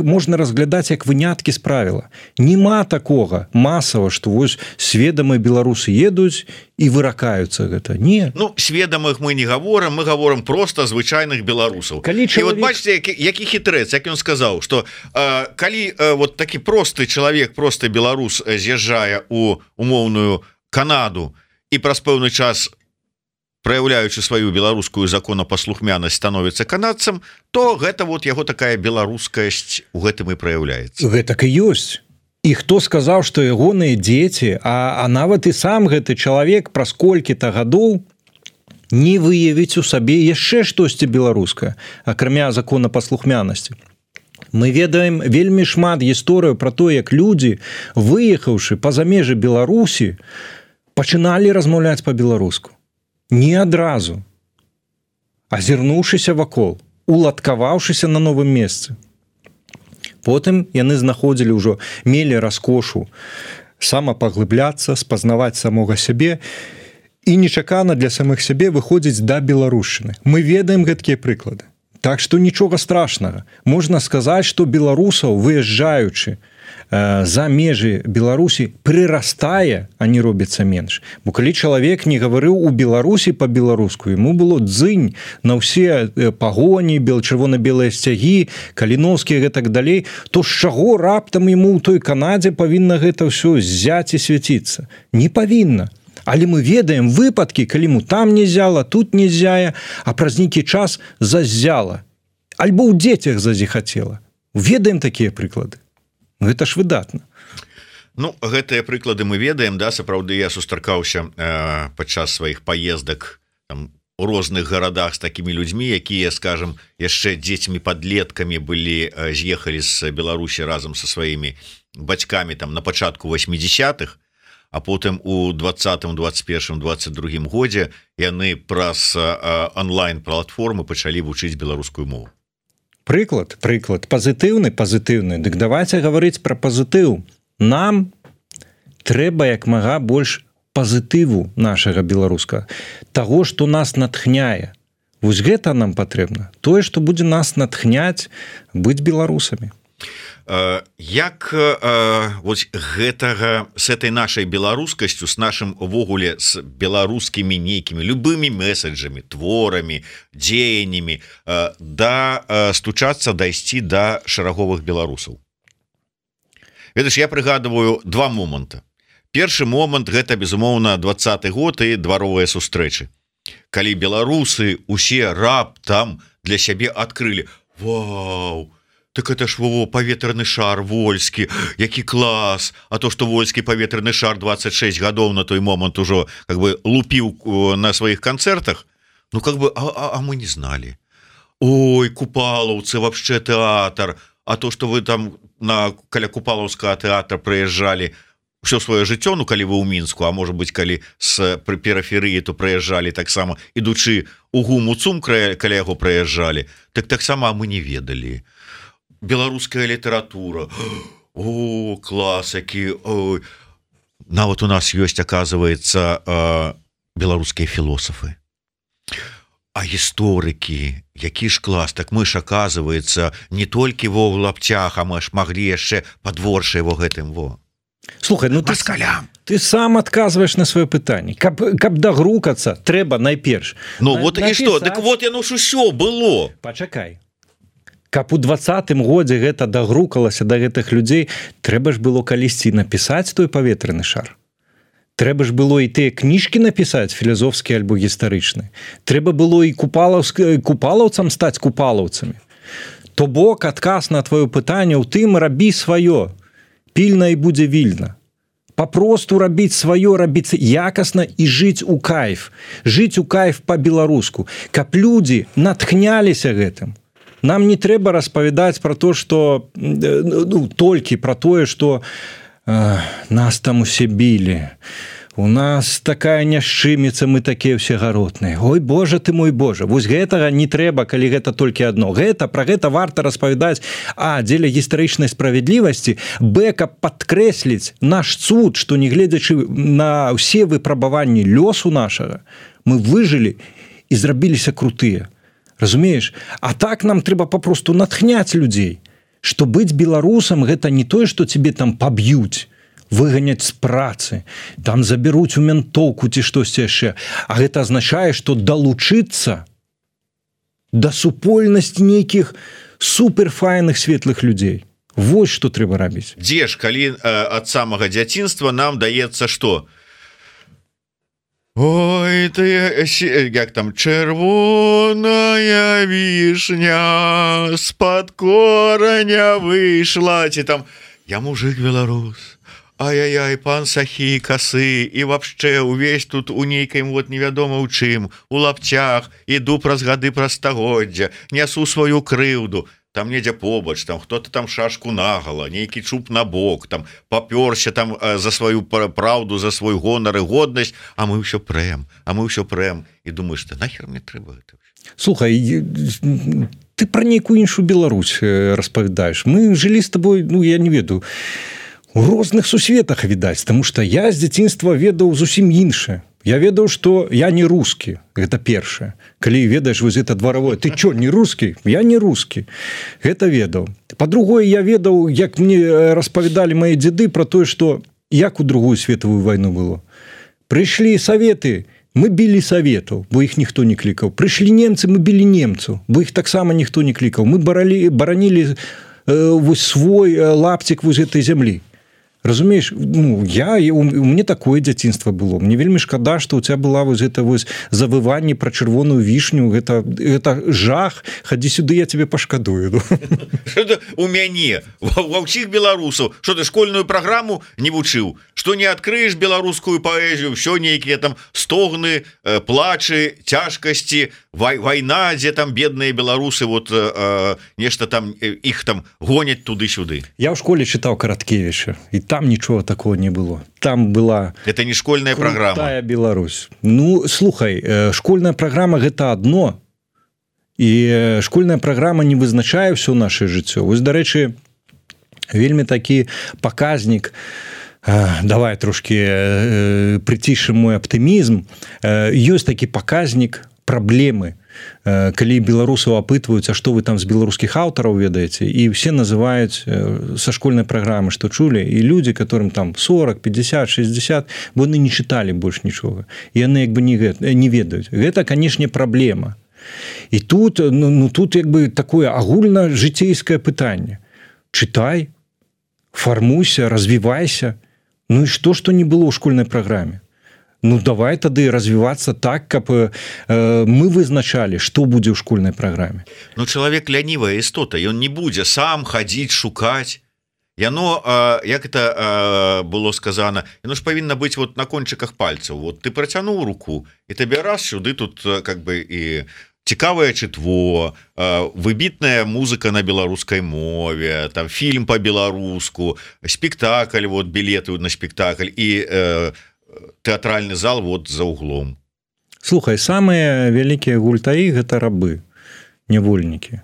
можна разглядаць як выняткі з правіла. Нема такога масава, што вось сведамыя беларусы едуць і выракаюцца гэта. Не. Ну, сведамых мы не гаворым, мы гаворым просто звычайных беларусаў. Чалавек... І вот бачыце, які хітрэц, як ён сказаў, што калі вот такі просты чалавек, просты беларус з'язджае у умоўную Канаду і праз пэўны час, праяўляючы сваю беларускую законапаслухмянасць, становіцца канадцам, то гэта вот яго такая беларускасць у гэтым і праяўляецца. Гэтак і ёсць. І хто сказаў, што ягоныя дзеці, а нават і сам гэты чалавек праз колькі-то гадоў не выявіць у сабе яшчэ штосьці беларускае, акрамя законапаслухмянасці. Мы ведаем вельмі шмат гісторыяў пра то, як людзі, выехаўшы па-за межы Беларусі, пачыналі размаўляць па-беларуску. Не адразу, азірнуўшыся вакол, уладкаваўшыся на новым месцы. Потым яны знаходзілі ўжо, мелі раскошу самапаглыбляцца, спазнаваць самога сябе і нечакана для самых сябе выходзіць да беларушчыны. Мы ведаем гэткія прыклады. Так што нічога страшнага. Можна сказаць, што беларусаў, выязджаючы за межы Беларусі, прырастае, а не робіцца менш. Бо калі чалавек не гаварыў у Беларусі па-беларуску, яму было дзынь на ўсе пагоні, чырвона-белыя сцягі, каліноўскія і гэтак далей, то з чаго раптам яму ў той Канадзе павінна гэта ўсё ззяць і свяціцца? Не павінна. Але мы ведаем выпадкі, калі му там не зяла, тут не зяе, а праз нейкі час заззяла. Альбо ў дзецях зазіхацела. Ведаем такія прыклады. Гэта ж выдатна. Ну, гэтыя прыклады мы ведаем, да, сапраўды я сустракаўся падчас сваіх паездак там, у розных гарадах з такімі людзьмі, якія, скажем, яшчэ дзецьмі-падлеткамі былі, з'ехалі з Беларусі разам са сваімі бацькамі там на пачатку 80-х, а потым у 20-м, 21-м, 22-м годзе яны праз онлайн-платформы пачалі вучыць беларускую мову. Прыклад, пазітыўны. Дык давайце гаварыць пра пазітыў. Нам трэба як мага больш пазітыву нашага беларуска, таго, што нас натхняе. Вось гэта нам патрэбна. Тое, што будзе нас натхняць быць беларусамі. Як вось гэтага з этой нашай беларускасцю, з нашым увогуле з беларускімі нейкімі любымі месаджамі, творамі, дзеяннямі стучацца, дайсці да шараговых беларусаў? Ведаеш, я прыгадываю два моманта. Першы момант гэта, безумоўна, 20-й год і дваровыя сустрэчы. Калі беларусы усе раптам для сябе адкрылі: вау, так это ж паветраны шар вольскі, які клас, а то што вольскі паветраны шар 26 гадоў на той момант ужо как бы лупіў на сваіх канцэртах, ну как бы а мы не знали. Ой, Купалаўцы, вообще тэатр, а то што вы там каля Купалаўскага тэатра прыязджалі ўсё сваё жыццё, ну калі вы ў Мінску, а можа быць калі з перыферыі, то прыязджалі таксама, ідучы у ГУМу ЦУМ каля яго прыязджалі, таксама мы не ведалі. Беларуская літаратура, о, клас, які, ой. Нават у нас ёсць, аказваецца, беларускія філосафы. А гісторыкі, які ж клас, так мы ж, аказваецца, не толькі во ў лапцях, а мы ж маглі яшчэ падворшай во гэтым во. Слухай, ну ты сам адказваеш на сваё пытанне. Каб дагрукацца, трэба найперш. Ну вот і што, дык вот яно ж усё было. Пачакай. Каб у 20-м годзе гэта дагрукалася да гэтых людзей, трэба ж было калісьці напісаць той паветраны шар. Трэба ж было і тыя кніжкі напісаць, філасофскія альбо гістарычныя. Трэба было і купалаўцам стаць купалаўцамі. То бок адказ на твоё пытанне ў тым: рабі сваё, пільна і будзе вільна. папросту рабіць сваё, рабіць якасна і жыць у кайф по-беларуску, каб людзі натхняліся гэтым. Нам не трэба распавядаць про то, что толькі про тое, что нас там усе білі, у нас такая няшчыміца, мы такія ўсе гаротныя. Ой, Боже ты мой Боже, вось гэтага не трэба, калі гэта толькі адно. Про гэта варта распавядаць, дзеля гістарычнай справядлівасці, каб падкрэсліць наш цуд, што нягледзячы на ўсе выпрабаванні лёсу нашага, мы выжылі і зрабіліся крутыя. Разумееш? А так нам трэба папросту натхняць людзей, што быць беларусам гэта не тое, што тебе там паб'юць, выганяць з працы, там забяруць у ментоўку ці штосьці яшчэ, а гэта азначае, што далучыцца да супольнасці нейкіх суперфайных светлых людзей. Вось што трэба рабіць. Дзе ж, калі ад самага дзяцінства нам даецца што? Ой, ты, як там, чырвоная вішня з-пад кораня выйшла, ці там, я мужик беларус, ай-яй-яй, пан сахі, касы, і вообще увесь тут у нейкім вот невядома ў чым, у лапцях, іду праз гады, праз стагоддзя, нясу сваю крыўду, там недзе побач, там хто-то там шашку нагала, нейкі чуб на бок, там папёрся там за сваю праўду, за свой гонар і годнасць, а мы ўсё прэм, і думаеш, ты нахер мне трэба гэта? Слухай, ты про нейкую іншую Беларусь распавядаеш. Мы жылі з табой, я не ведаю, у розных сусветах, відаць, таму што я з дзяцінства ведаў зусім іншае. Я ведаў, што я не рускі, гэта першае. Калі ведаеш вось гэта дваровое, ты чё, не рускі? Я не рускі. Гэта ведаў. Па-другое, я ведаў, як мне распавядалі мае дзеды про тое, што як у Другую светавую вайну было. Прыйшлі саветы, мы білі саветаў, бо іх ніхто не клікаў. Прыйшлі немцы, мы білі немцаў, бо іх таксама ніхто не клікаў. Мы баранілі вось свой лапцік вось гэтай зямлі. Разумееш, у мне такое дзяцінства было. Мне вельмі шкада, што у тебя была вось гэта вось завыванне пра чырвоную вішню, гэта жах, хадзі сюды, я тебе пашкадую. У мяне, ва ўсіх беларусаў, што ты школьную праграму не вучыў, што не адкрыеш беларускую паэзію, ўсё нейкія там стогны, плачы, цяжкасці, вайна, дзе там бедныя беларусы, вот нешта там, іх там гоняць туды-сюды. Я ў школе чытаў Караткевіча, і там нічого такого не было. Там была... Это не школьная программа. Крутая Беларусь. Слухай, школьная программа гэта адно, і школьная программа не вызначае ўсё наше жыццё. Вось, дарэчы, вельмі такі паказнік, давай трошки прыцішым мой аптымізм, ёсць такі паказнік праблемы, калі беларусаў апытваюць, а што вы там з беларускіх аўтараў ведаеце, і все называюць са школьнай праграмы, што чулі, і людзі, которым там 40, 50, 60, бо яны не чыталі больш нічога, і яны як бы не ведаюць. Гэта, канешне, праблема. І тут, тут як бы такое агульна-жыцейскае пытанне. Чытай, фармуйся, развівайся. І што не было ў школьнай праграме? Давай тады развівацца так, каб мы вызначалі, што будзе ў школьнай праграме. Чалавек лянівая істота, ён не будзе сам хадзіць, шукаць. Яно, як это было сказано, яно ж павінна быць вот на кончыках пальцаў. Вот ты працянуў руку, і табе раз сюды тут как бы і цікавае чытво, выбітная музыка на беларускай мове, там фільм па-беларуску, спектакль, вот білеты на спектакль і тэатральны зал вот за углом. Слухай, самыя вялікія гультаі гэта рабы, нявольнікі.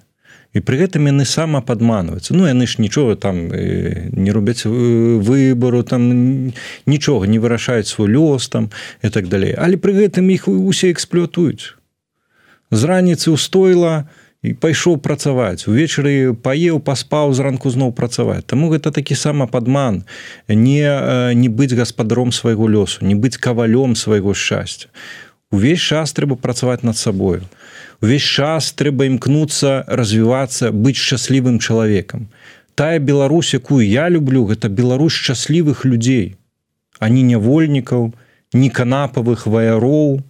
І пры гэтым яны самападманваюцца. Яны ж нічога там не робяць выбару, там нічога не вырашаюць свой лёс там і так далей. Але пры гэтым іх усе эксплуатуюць. З раніцы ўстойла і пайшоў працаваць. Увечары паеў, паспаў, зранку зноў працаваць. Таму гэта такі самападман. Не быць гаспадаром свайго лёсу, не быць кавалём свайго шчасця. Увесь час трэба працаваць над сабою. Увесь час трэба імкнуцца, развівацца, быць шчаслівым чалавекам. Тая Беларусь, якую я люблю, гэта Беларусь шчаслівых людзей, а не нявольнікаў, не канапавых ваяроў,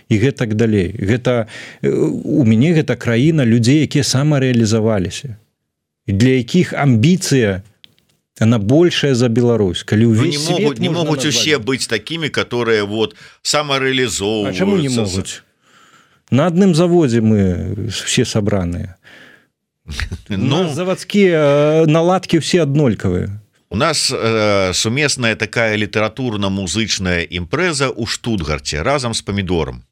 і гэтак далей. У мяне гэта краіна людзей, якія самарэалізаваліся. І для якіх амбіцыя она большая за Беларусь, калі не могуць усе быць такімі, которые вот самарэалізоўваюцца. А чаму не могуць? На адным заводзе мы все сабраныя. Ну, заводскія наладкі все аднолькавыя. У нас сумесная такая літаратурна-музычная імпрэза ў Штутгарце разам з памідорам.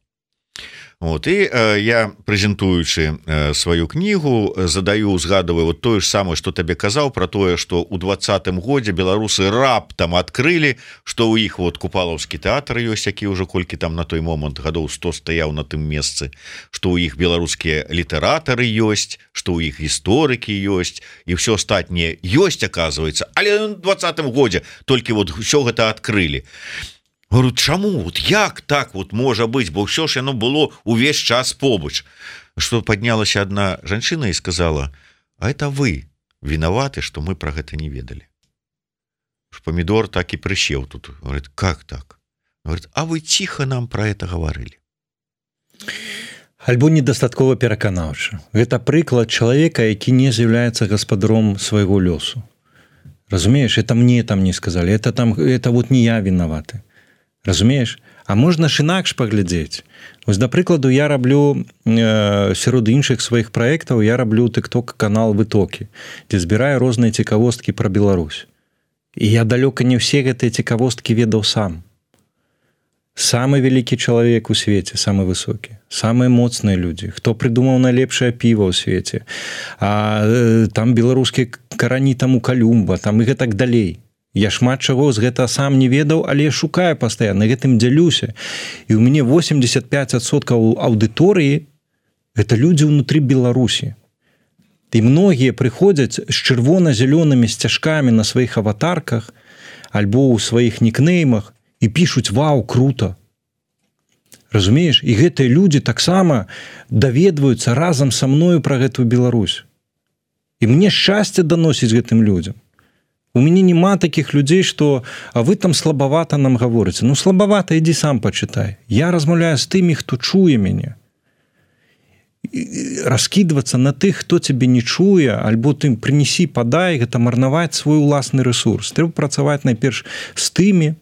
Вот, і я, прэзентуючы сваю кнігу, узгадываю вот тое ж самае, што табе казаў пра тое, што ў 20-м годзе беларусы раптам адкрылі, што ў іх вот купалаўскі тэатр ёсць, які ўжо колькі там на той момант гадоў 100 стаяў на тым месцы, што ў іх беларускія літаратары ёсць, што ў іх гісторыкі ёсць, і ўсё астатняе ёсць, аказваецца, але ў 20-м годзе толькі вот ўсё гэта адкрылі. Говорю, чаму? Вот як так вот можа быць? Бо ўсё ж яно было увесь час побач. Што паднялася адна жанчына і сказала: а это вы вінаваты, што мы пра гэта не ведалі. Памідор так і прысеў тут. Говорит, как так? Говорит, а вы ціха нам пра это гаварылі. Альбо недастаткова пераканаўча. Гэта прыклад чалавека, які не з'яўляецца гаспадаром свайго лёсу. Разумееш, это мне там не сказалі, это вот не я вінаваты. Разумееш? А можна ж інакш паглядзець. Вось, да прыкладу, я раблю сярод іншых сваіх праектаў, я раблю тык-ток-канал «Вытокі», дзе збіраю розныя цікавосткі пра Беларусь. І я далёка не ўсе гэтыя цікавосткі ведаў сам. Самы вялікі чалавек у свеце, самы высокі, самыя моцныя людзі, хто прыдумаў найлепшае піва ў свеце, а там беларускія карані там у Калюмба, там і гэтак далей. Я шмат чаго з гэта сам не ведаў, але я шукаю пастаянна, гэтым дзялюся. І ў мяне 85% аўдыторыі гэта людзі ўнутры Беларусі. І многія прыходзяць з чырвона-зялёнымі сцяжкамі на сваіх аватарках альбо ў сваіх нікнеймах і пішуць: вау, круто. Разумееш? І гэтыя людзі таксама даведваюцца разам са мною пра гэтую Беларусь. І мне шчасце даносіць гэтым людзям. У мяне няма такіх людзей, што а вы там слабавата нам гаворыце. Ну, слабавата, ідзі сам пачытай. Я размаўляю з тымі, хто чуе мяне. Раскідвацца на тых, хто цябе не чуе, альбо ты прынесі, падай, гэта марнаваць свой уласны рэсурс. Трэба працаваць найперш з тымі,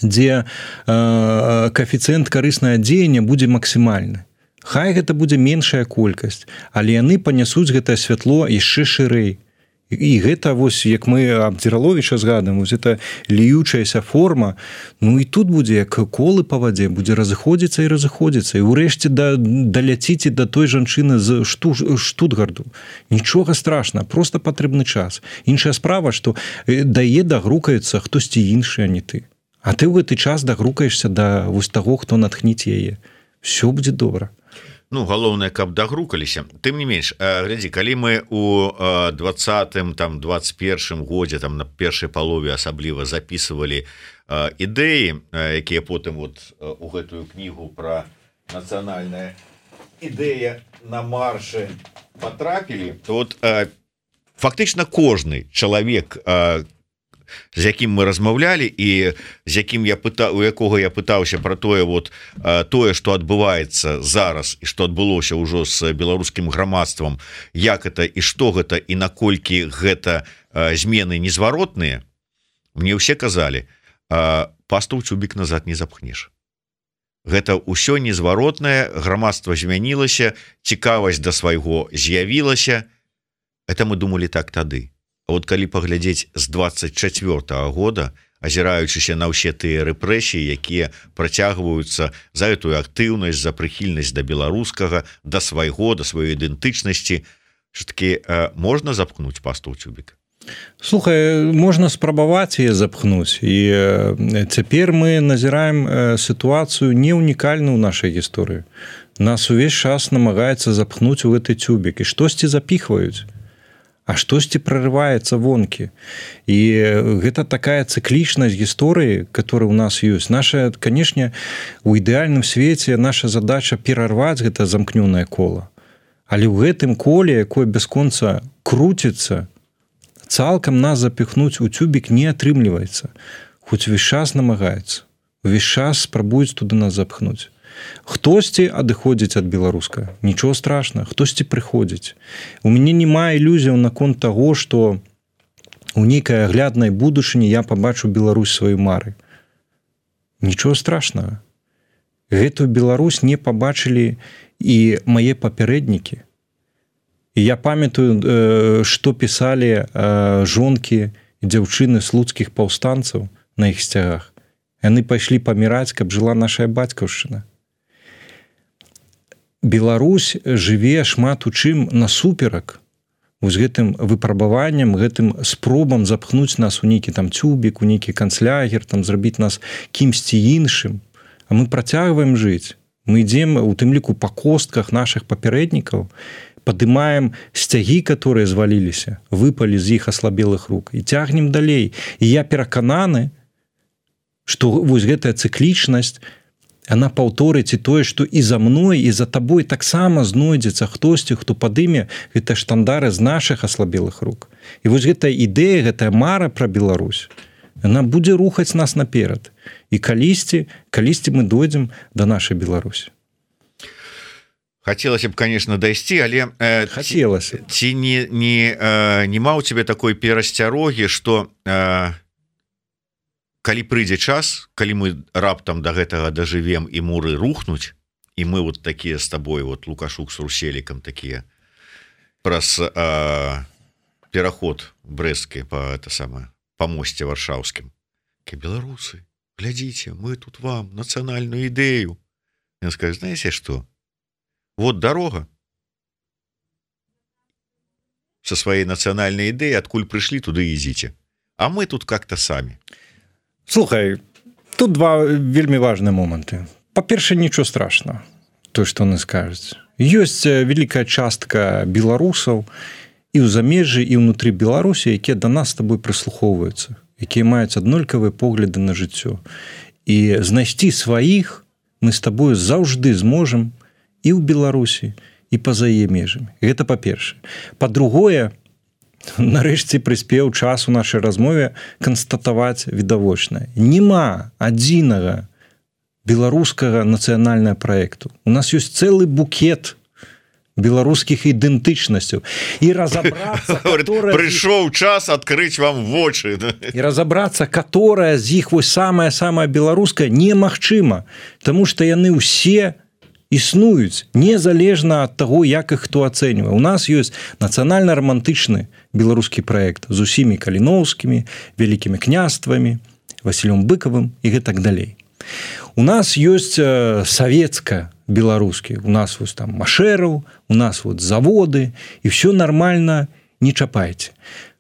дзе каэфіцыент карыснае дзеяння будзе максімальны. Хай гэта будзе меншая колькасць, але яны панясуць гэтае святло яшчэ шырэй. І гэта, вось, як мы Абдзіраловіча згадуем, вось гэта ліючаяся форма, ну і тут будзе, як колы па вадзе, будзе разыходзіцца і разыходзіцца. І ўрэшце даляціце да той жанчыны з Штутгарду. Нічога страшна, проста патрэбны час. Іншая справа, што дае дагрукаецца хтосьці іншы, а не ты. А ты ў гэты час дагрукаешся да вось таго, хто натхніць яе. Всё будзе добра. Ну, галоўнае, каб дагрукаліся. Тым не менш, глядзі, калі мы у 20-м, там, 21-м годзе, там, на першай палове асабліва запісывалі ідэі, якія потым вот у гэтую кнігу пра нацыянальная ідэя на маршы патрапілі, то вот фактычна кожны чалавек, з якім мы размаўлялі і з якім у якога я пытаўся пра тое, вот тое, што адбываецца зараз і што адбылося ўжо з беларускім грамадствам, як это і што гэта і наколькі гэта змены незваротныя, мне ўсе казалі: пасту ў цюбік назад не запхнеш. Гэта ўсё незваротнае, грамадства змянілася, цікавасць да свайго з'явілася. Это мы думалі так тады. А вот калі паглядзець з 24-го года, азіраючыся на ўсе тыя рэпрэсіі, якія працягваюцца за гэтую актыўнасць, за прыхільнасць да беларускага, да свайго, да сваёй ідэнтычнасці, все-таки можна запхнуць пасту ў цюбік? Слухай, можна спрабаваць яе запхнуць. І цяпер мы назіраем сітуацыю не ўнікальную ў нашай гісторыі. Нас увесь час намагаецца запхнуць у гэты цюбік, і штосьці запіхваюць. А штосьці прорываецца вонкі. І гэта такая цыклічнасць гісторыі, которая у нас ёсць. Наша, канешне, у ідэальным свеце наша задача перарваць гэта замкнёнае кола. Але ў гэтым коле, якое бясконца круціцца, цалкам нас запіхнуць у цюбік не атрымліваецца. Хоць увесь час намагаюцца. Увесь час спрабуюць туды нас запхнуць. Хтосьці адыходзіць ад беларускага, нічого страшна, хтосьці прыходзіць. У мяне няма ілюзіяў наконт таго, што у нейкай агляднай будучыні я пабачу Беларусь сваёй мары. Нічого страшнага. Гэтую Беларусь не пабачылі і мае папярэднікі. І я памятаю, што пісалі жонкі і дзяўчыны слуцкіх паўстанцаў на іх сцягах. Яны пайшлі паміраць, каб жыла наша бацькаўшчына. Беларусь жыве шмат у чым насуперак з гэтым выпрабаваннем, гэтым спробам запхнуць нас у нейкі там цюбік, у нейкі канцлягер, там зрабіць нас кімсьці іншым. А мы працягваем жыць. Мы ідзем у тым ліку па костках нашых папярэднікаў, падымаем сцягі, которые зваліліся, выпалі з іх аслабелых рук і цягнем далей. І я перакананы, што вось гэтая цыклічнасць, она паўторыць і тое, што і за мной, і за табой таксама знойдзецца хтосьці, хто падыме гэтыя штандары з нашых аслабелых рук. І вось гэтая ідэя, гэтая мара пра Беларусь, она будзе рухаць нас наперад. І калісьці мы дойдзем да нашай Беларусі. Хацелася б, конечно, дайсці, але хацелася. Ці нема ў цябе такой перасцярогі, што калі прыйдзе час, калі мы раптам да гэтага дажывем і муры рухнуць, і мы вот такія з табой, вот Лукашук с Руселікам такія праз пераход брэсцкі па мосце варшаўскім. Беларусы, глядзіце, мы тут вам нацыянальную ідэю. Ён скажа, знаеце што? Вот дорога. Со своей национальной идеей, откуль пришли, туда езите. А мы тут как-то сами. Слухай, тут два вельмі важныя моманты. Па-першае, нічого страшного, то, што яны скажуць. Ёсць вялікая частка беларусаў і ў замежжы, і ўнутры Беларусі, якія да нас з табой прыслухоўваюцца, якія маюць аднолькавыя погляды на жыццё. І знайсці сваіх мы з табою заўжды зможам і ў Беларусі, і па-за яе межамі. Гэта па-першае. Па-другое, нарэшце прыспеў час у нашай размове канстатаваць відавочнае. Нема адзінага беларускага нацыянальнага праекту. У нас ёсць цэлы букет беларускіх ідэнтычнасцяў. І разабрацца, прыйшоў час адкрыць вам вочы. І разабрацца, которая з іх вось самая беларуская, немагчыма, таму што яны ўсе існуюць, незалежна ад таго, як іх хто ацэньвае. У нас ёсць нацыянальна-рамантычны беларускі праект з усімі каліноўскімі, вялікімі княствамі, Васілём Быкавым і гэтак далей. У нас ёсць савецка-беларускі, у нас вось там Машэраў, у нас вот заводы, і все нормально, не чапайце.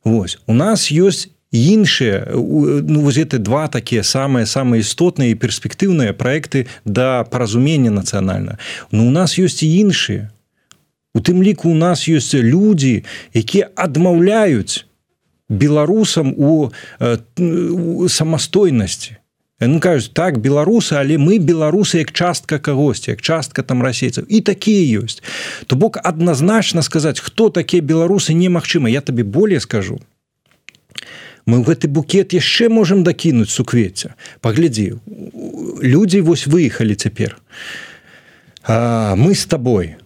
Вось. У нас ёсць іншыя, ну, вось гэта два такія самыя істотныя і перспектыўныя праекты да паразумення нацыянальна. Но у нас ёсць і іншыя. У тым ліку у нас ёсць людзі, якія адмаўляюць беларусам у самастойнасці. Яны кажуць, так, беларусы, але мы беларусы як частка кагосьці, як частка там расейцаў. І такія ёсць. То бок адназначна сказаць, хто такія беларусы, немагчыма. Я табе болей скажу. Мы ў гэты букет яшчэ можам дакінуць суквецця. Паглядзі, людзі вось выехалі цяпер. Мы з табой.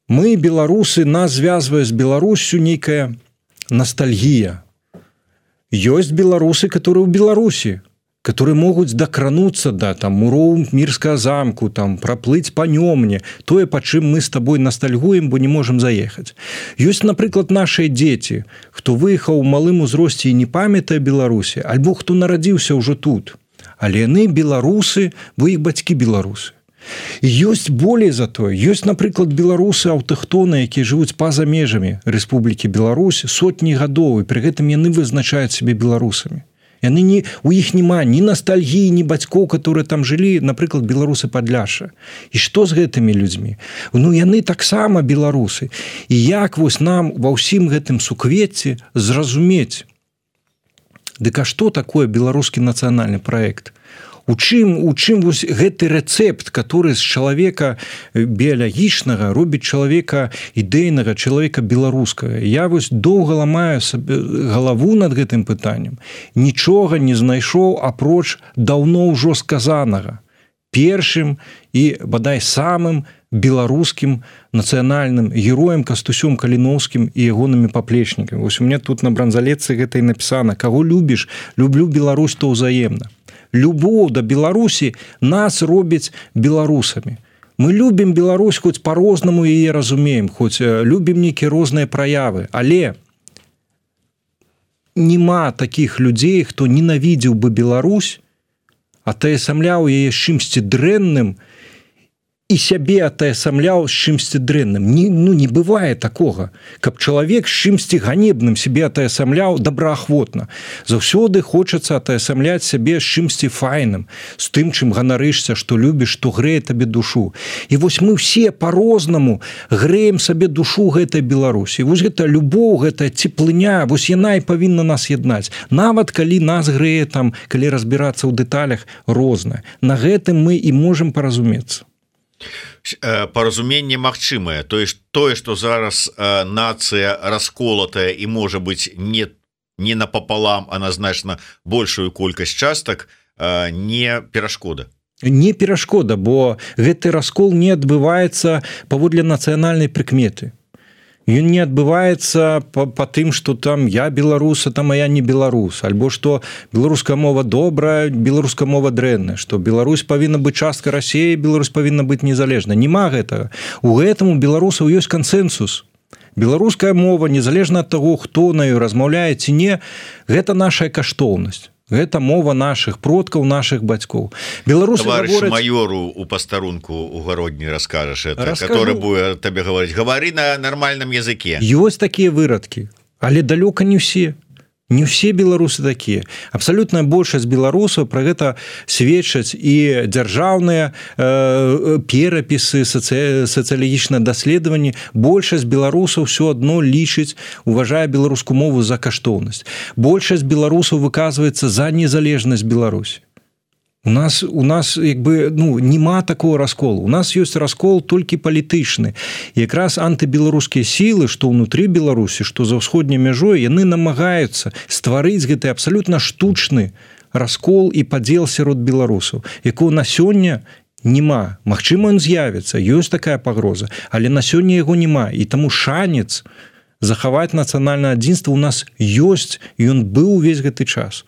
Мы, беларусы, нас звязвае з Беларуссю нейкая ностальгія. Ёсць беларусы, которые ў Беларусі, которые могуць дакрануцца да там муроў Мірскага замку, там праплыць па нёмне, тое, па чым мы з табой ностальгуем, бо не можам заехаць. Ёсць, напрыклад, нашыя дзеці, хто выехаў у малым узросце і не памятае Беларусі, альбо хто нарадзіўся ўжо тут. Але яны беларусы, бо іх бацькі беларусы. І ёсць болей за тое. Ёсць, напрыклад, беларусы аўтахтоны, якія жывуць па-за межамі Рэспублікі Беларусь сотні гадоў, і пры гэтым яны вызначаюць сябе беларусамі. У іх няма ні ностальгіі, ні бацькоў, которые там жылі, напрыклад, беларусы Падляшша. І што з гэтымі людзьмі? Ну, яны таксама беларусы. І як вось нам ва ўсім гэтым суквецці зразумець, дык а што такое беларускі нацыянальны праект? У чым вось гэты рэцэпт, который з чалавека біялагічнага робіць чалавека ідэйнага, чалавека беларускага? Я вось доўга ламаю сабе галаву над гэтым пытаннем. Нічога не знайшоў апроч даўно ўжо сказанага. Першым і, бадай, самым беларускім нацыянальным героем Кастусём Каліноўскім і ягонымі паплечнікамі. Вось у меня тут на бранзалетцы гэта і напісана: каго любіш, люблю Беларусь, то ўзаемна. Любоў да Беларусі нас робіць беларусамі. Мы любім Беларусь, хоць по-рознаму яе разумеем, хоць любім нейкія розныя праявы, але нема такіх людзей, хто ненавідзеў бы Беларусь, атаясамляў яе з чымсьці дрэнным і сябе атаясамляў з чымсьці дрэнным. Не бывае такога, каб чалавек з чымсьці ганебным сябе атаясамляў добраахвотна. Заўсёды хочацца атаясамляць сябе з чымсьці файным, з тым, чым ганарышся, што любіш, што грэе табе душу. І вось мы все по-рознаму грэем сабе душу гэтай Беларусі. Вось гэта любоў, гэтая цеплыня, вось яна і павінна нас яднаць. Нават калі нас грэе там, калі разбірацца ў дэталях, рознае. На гэтым мы і можам паразумецца. Паразуменне магчымае, тое, што зараз нацыя расколатая і можа быць не напапалам, а на значна большую колькасць частак, не перашкода. Не перашкода, бо гэты раскол не адбываецца паводле нацыянальнай прыкметы. Ён не адбываецца па тым, што там я беларус, а там я не беларус, альбо што беларуская мова добрая, беларуская мова дрэнная, што Беларусь павінна быць часткай Расіі, Беларусь павінна быць незалежнай. Нема гэтага. У гэтым у беларусаў ёсць кансэнсус. Беларуская мова, незалежна ад таго, хто на ёй размаўляе ці не, гэта наша каштоўнасць. Гэта мова наших продкаў, наших бацькоў. Беларусы гавораць... майору у пастарунку у гародні раскажаш это, который будет табе говорить: говори на нормальном языке. Ёсць такія вырадкі, але далёка не ўсе. Не ўсе беларусы такія. Абсалютная большасць беларусаў пра гэта сведчаць і дзяржаўныя перапісы, сацыялагічныя даследаванні. Большасць беларусаў ўсё адно лічыць, уважае беларускую мову за каштоўнасць. Большасць беларусаў выказваецца за незалежнасць Беларусі. У нас як бы, нема такого расколу. У нас ёсць раскол толькі палітычны. І якраз антыбеларускія сілы, што ўнутры Беларусі, што за ўсходняй мяжой, яны намагаюцца стварыць гэты абсалютна штучны раскол і падзел сярод беларусаў, якого на сёння нема. Магчыма, ён з'явіцца, ёсць такая пагроза, але на сёння яго нема. І таму шанец захаваць нацыянальнае адзінства ў нас ёсць, і ён быў увесь гэты час.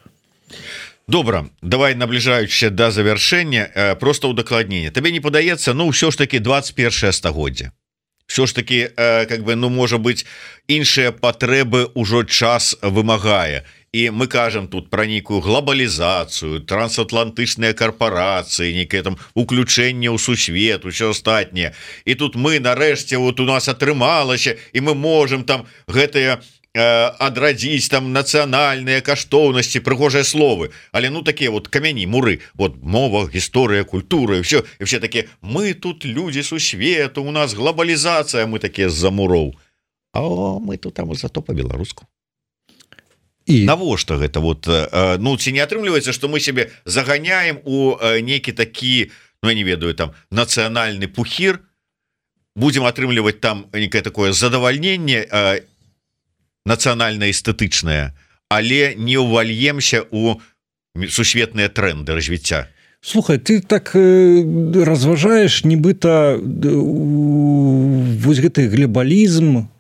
Добра, давай, набліжаючыся да завяршэння, просто ўдакладненне. Табе не падаецца, ўсё ж таки 21 стагоддзе. Все ж таки, можа быць, іншыя патрэбы ўжо час вымагае. І мы кажам тут пра нейкую глобалізацыю, трансатлантычныя карпорацыі, нейкае там уключэнне ў сусвет, усё астатняе. І тут мы нарэшце у нас атрымалася, і мы можам там гэтыя адрадзіць там нацыянальныя каштоўнасці, прыгожыя словы, але такія камяні, муры, мова, гісторыя, культура, і все такія: мы тут людзі сусвету, у нас глобалізацыя, мы такія з-за муроў, а мы тут там зато по-беларуску. І навошта гэта? Ці не атрымліваецца, што мы сябе заганяем у нейкі такі, я не ведаю, там нацыянальны пухір, будзем атрымліваць там некае такое задавальненне нацыянальна-эстэтычнае, але не ўвальемся у сусветныя тренды развіцця. Слухай, ты так разважаеш, нібыта вось гэты глобалізм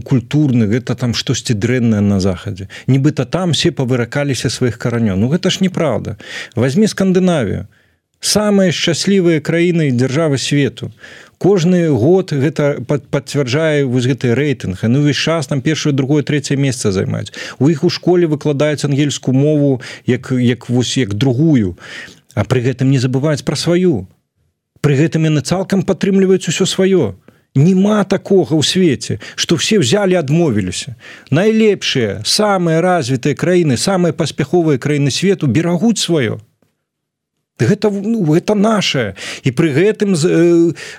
культурны, гэта там штосьці дрэннае на захадзе. Нібыта там все павыракаліся сваіх каранёў. Гэта ж неправда. Возьми Скандынавію. Самыя шчаслівыя краіны і дзяржавы свету. Кожны год гэта пацвярджае вось гэты рэйтынг. Увесь час там першае, другое, трэцяе месца займаюць. У іх у школе выкладаюць ангельскую мову як другую. А пры гэтым не забываюць пра сваю. Пры гэтым яны цалкам падтрымліваюць усё сваё. Нема такога ў свеце, што все взяли, адмовіліся. Найлепшыя, самыя развітыя краіны, самыя паспяховыя краіны свету берагуць сваё. Гэта нашае. І пры гэтым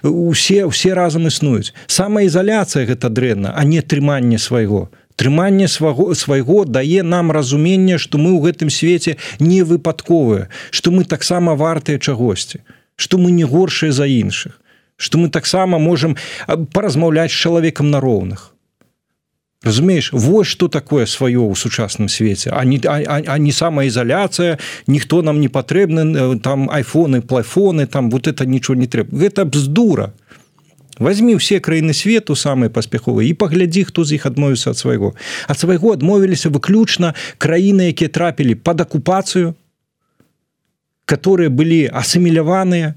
усе разам існуюць. Самаізаляцыя гэта дрэнна, а не трыманне свайго. Трыманне свайго дае нам разуменне, што мы ў гэтым свеце не выпадковыя, што мы таксама вартыя чагосьці, што мы не горшыя за іншых, што мы таксама можам паразмаўляць з чалавекам на роўных. Разумееш, вось што такое сваё ў сучасным свеце, а не самаізаляцыя, ніхто нам не патрэбны, там айфоны, плайфоны, там вот это нічого не трэба. Гэта бздура. Возьми ўсе краіны свету самыя паспяховыя і паглядзі, хто з іх адмовіўся ад свайго. Ад свайго адмовіліся выключна краіны, якія трапілі пад акупацыю, которые былі асіміляваныя,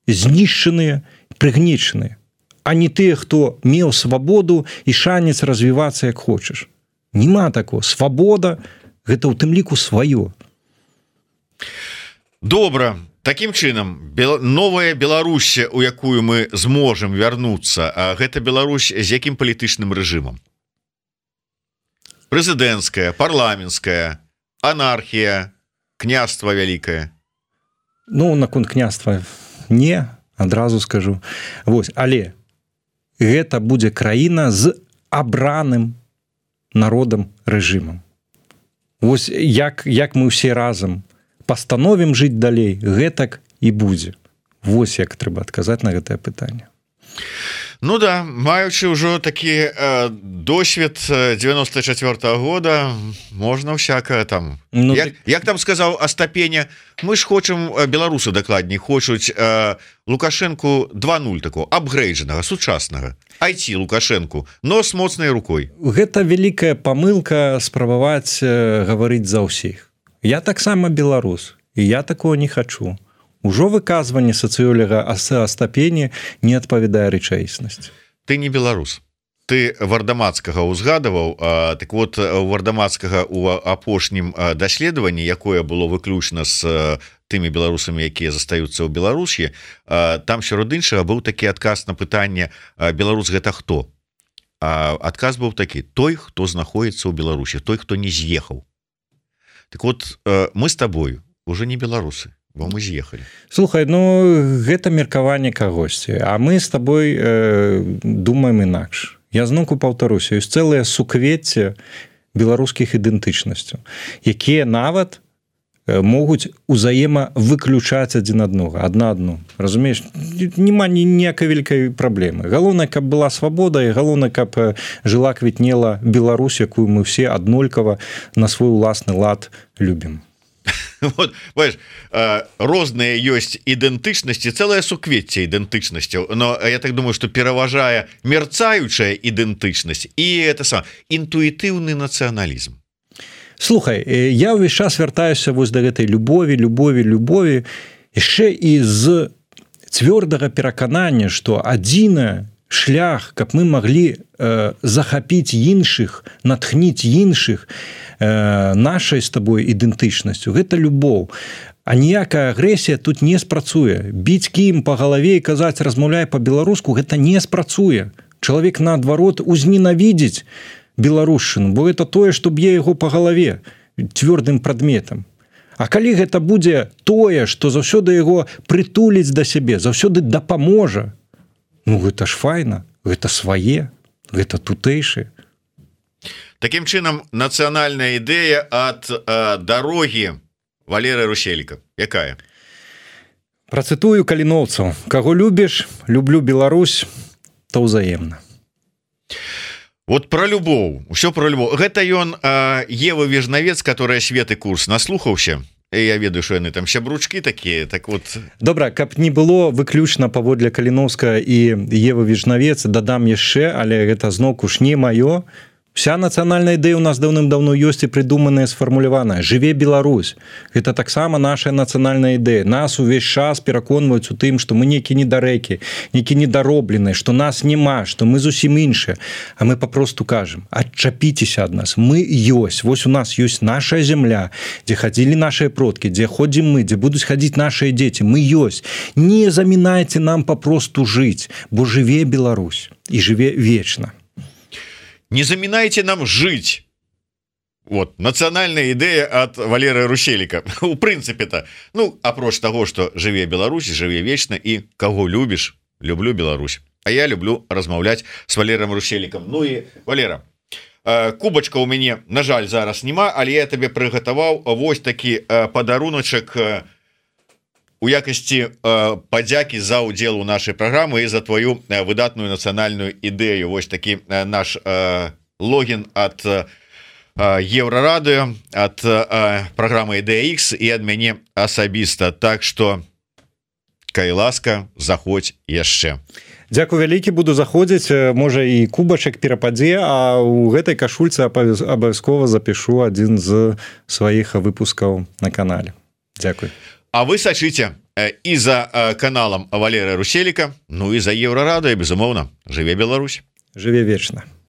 знішчаныя, прыгнечаныя, а не тыя, хто меў свабоду і шанец развівацца як хочаш. Нема такого. Свабода – гэта ў тым ліку сваё. Добра. Такім чынам, новая Беларусь, у якую мы зможам вярнуцца, гэта Беларусь з якім палітычным рэжымам? Прэзідэнцкая, парламенцкая, анархія, княства вялікае? Ну, наконт княства не, адразу скажу. Вось, але гэта будзе краіна з абраным народам рэжымам. Вось як мы ўсе разам пастановім жыць далей, гэтак і будзе. Вось як трэба адказаць на гэтае пытанне. Ну да, маючы ўжо такі досвед 94-го года, можна всякое там. Ну, як там сказаў Астапеня, мы ж хочам, беларусы дакладней, хочуць Лукашенку 2.0 такого, апгрейджанага, сучаснага. IT Лукашенку, но с моцнай рукой. Гэта вялікая памылка спрабаваць гаварыць за ўсіх. Я таксама беларус, і я такого не хачу. Ужо выказванне сацыёлага Астапені не адпавядае рэчаіснасці. Ты не беларус. Ты Вардамацкага ўзгадаваў, так вот у Вардамацкага у апошнім даследаванні, якое было выключна з тымі беларусамі, якія застаюцца ў Беларусі, там сярод іншага быў такі адказ на пытанне: беларус гэта хто? Адказ быў такі: той, хто знаходіцца ў Беларусі, той, хто не з'ехаў. Так вот, мы з табою уже не беларусы, бо мы з'ехалі. Слухай, ну гэта меркаванне кагосьці, а мы з табой думаем інакш. Я зноўку паўтаруся, ёсць цэлае суквецце беларускіх ідэнтычнасцяў, якія нават могуць узаемавыключаць адзін адну. Разумееш, няма ніякай вялікай праблемы. Галоўнае, каб была свабода, і галоўнае, каб жыла, квітнела Беларусь, якую мы ўсе аднолькава на свой уласны лад любім. Вот, бачиш, розныя ёсць ідэнтычнасці, цэлае суквецце ідэнтычнасцяў, но я так думаю, што пераважае мерцаючая ідэнтычнасць і это сам інтуітыўны нацыяналізм. Слухай, я ўвесь час вяртаюся вось да гэтай любові, яшчэ і з цвёрдага пераканання, што адзіны шлях, каб мы маглі захапіць іншых, натхніць іншых нашай з табой ідэнтычнасцю, гэта любоў. А ніякая агрэсія тут не спрацуе. Біць кіем па галаве і казаць «размаўляй па-беларуску» гэта не спрацуе. Чалавек, наадварот, узненавідзіць беларушчыну, бо это тое, што б'е яго па галаве цвёрдым прадметам. А калі гэта будзе тое, што заўсёды яго прытуліць да сябе, заўсёды дапаможа, ну гэта ж файна, гэта свае, гэта тутэйшыя. Такім чынам, нацыянальная ідэя ад дарогі Валерыя Рушэліка. Якая? Працытую каліноўцаў. Каго любіш, люблю Беларусь, то ўзаемна. Вот про любоў, усё про любоў. Гэта ён Ева Вежнавец, которая Светы курс наслухаўся. Я ведаю, што яны там сябручкі такія, так вот. Добра, каб не было выключна паводле Каліноўскага і Евы Вежнавец, дадам яшчэ, але гэта зноўку ж не маё. Вся нацыянальная ідэя ў нас даўным-даўно ёсць і прыдуманая, сфармуляваная. Жыве Беларусь. Гэта таксама наша нацыянальная ідэя. Нас увесь час пераконваюць у тым, што мы некі недарэкі, некі недаробленыя, што нас няма, што мы зусім іншыя. А мы папросту кажам: адчапіцеся ад нас. Мы ёсць. Вось у нас ёсць наша зямля, дзе хадзілі нашыя продкі, дзе ходзім мы, дзе будуць хадзіць нашыя дзеці. Мы ёсць. Не замінайце нам папросту жыць, бо жыве Беларусь і жыве вечна. Не замінайце нам жыць. Вот, нацыянальная ідэя ад Валерыя Рушэліка. У прынцыпе-то, ну, апроч таго, што жыве Беларусь, жыве вечна, і каго любіш, люблю Беларусь. А я люблю размаўляць з Валерыем Рушэлікам. Ну і, Валера, кубачка ў мяне, на жаль, зараз няма, але я табе прыгатаваў вось такі падаруначак у якасці падзякі за ўдзел у нашай праграмы і за твою выдатную нацыянальную ідэю. Вось такі наш логін ад Еўрарадыё, ад праграмы Ідэя Х і ад мяне асабіста. Так што кай ласка, заходь яшчэ. Дзякуй вялікі, буду заходзіць, можа і кубачак перападзе, а ў гэтай кашульцы абавязкова запішу адзін з сваіх выпускаў на канале. Дзякуй. А вы сачыце і за каналам Валерыя Руселіка, ну і за Еўрарадыё, безумоўна. Жыве Беларусь. Жыве вечна.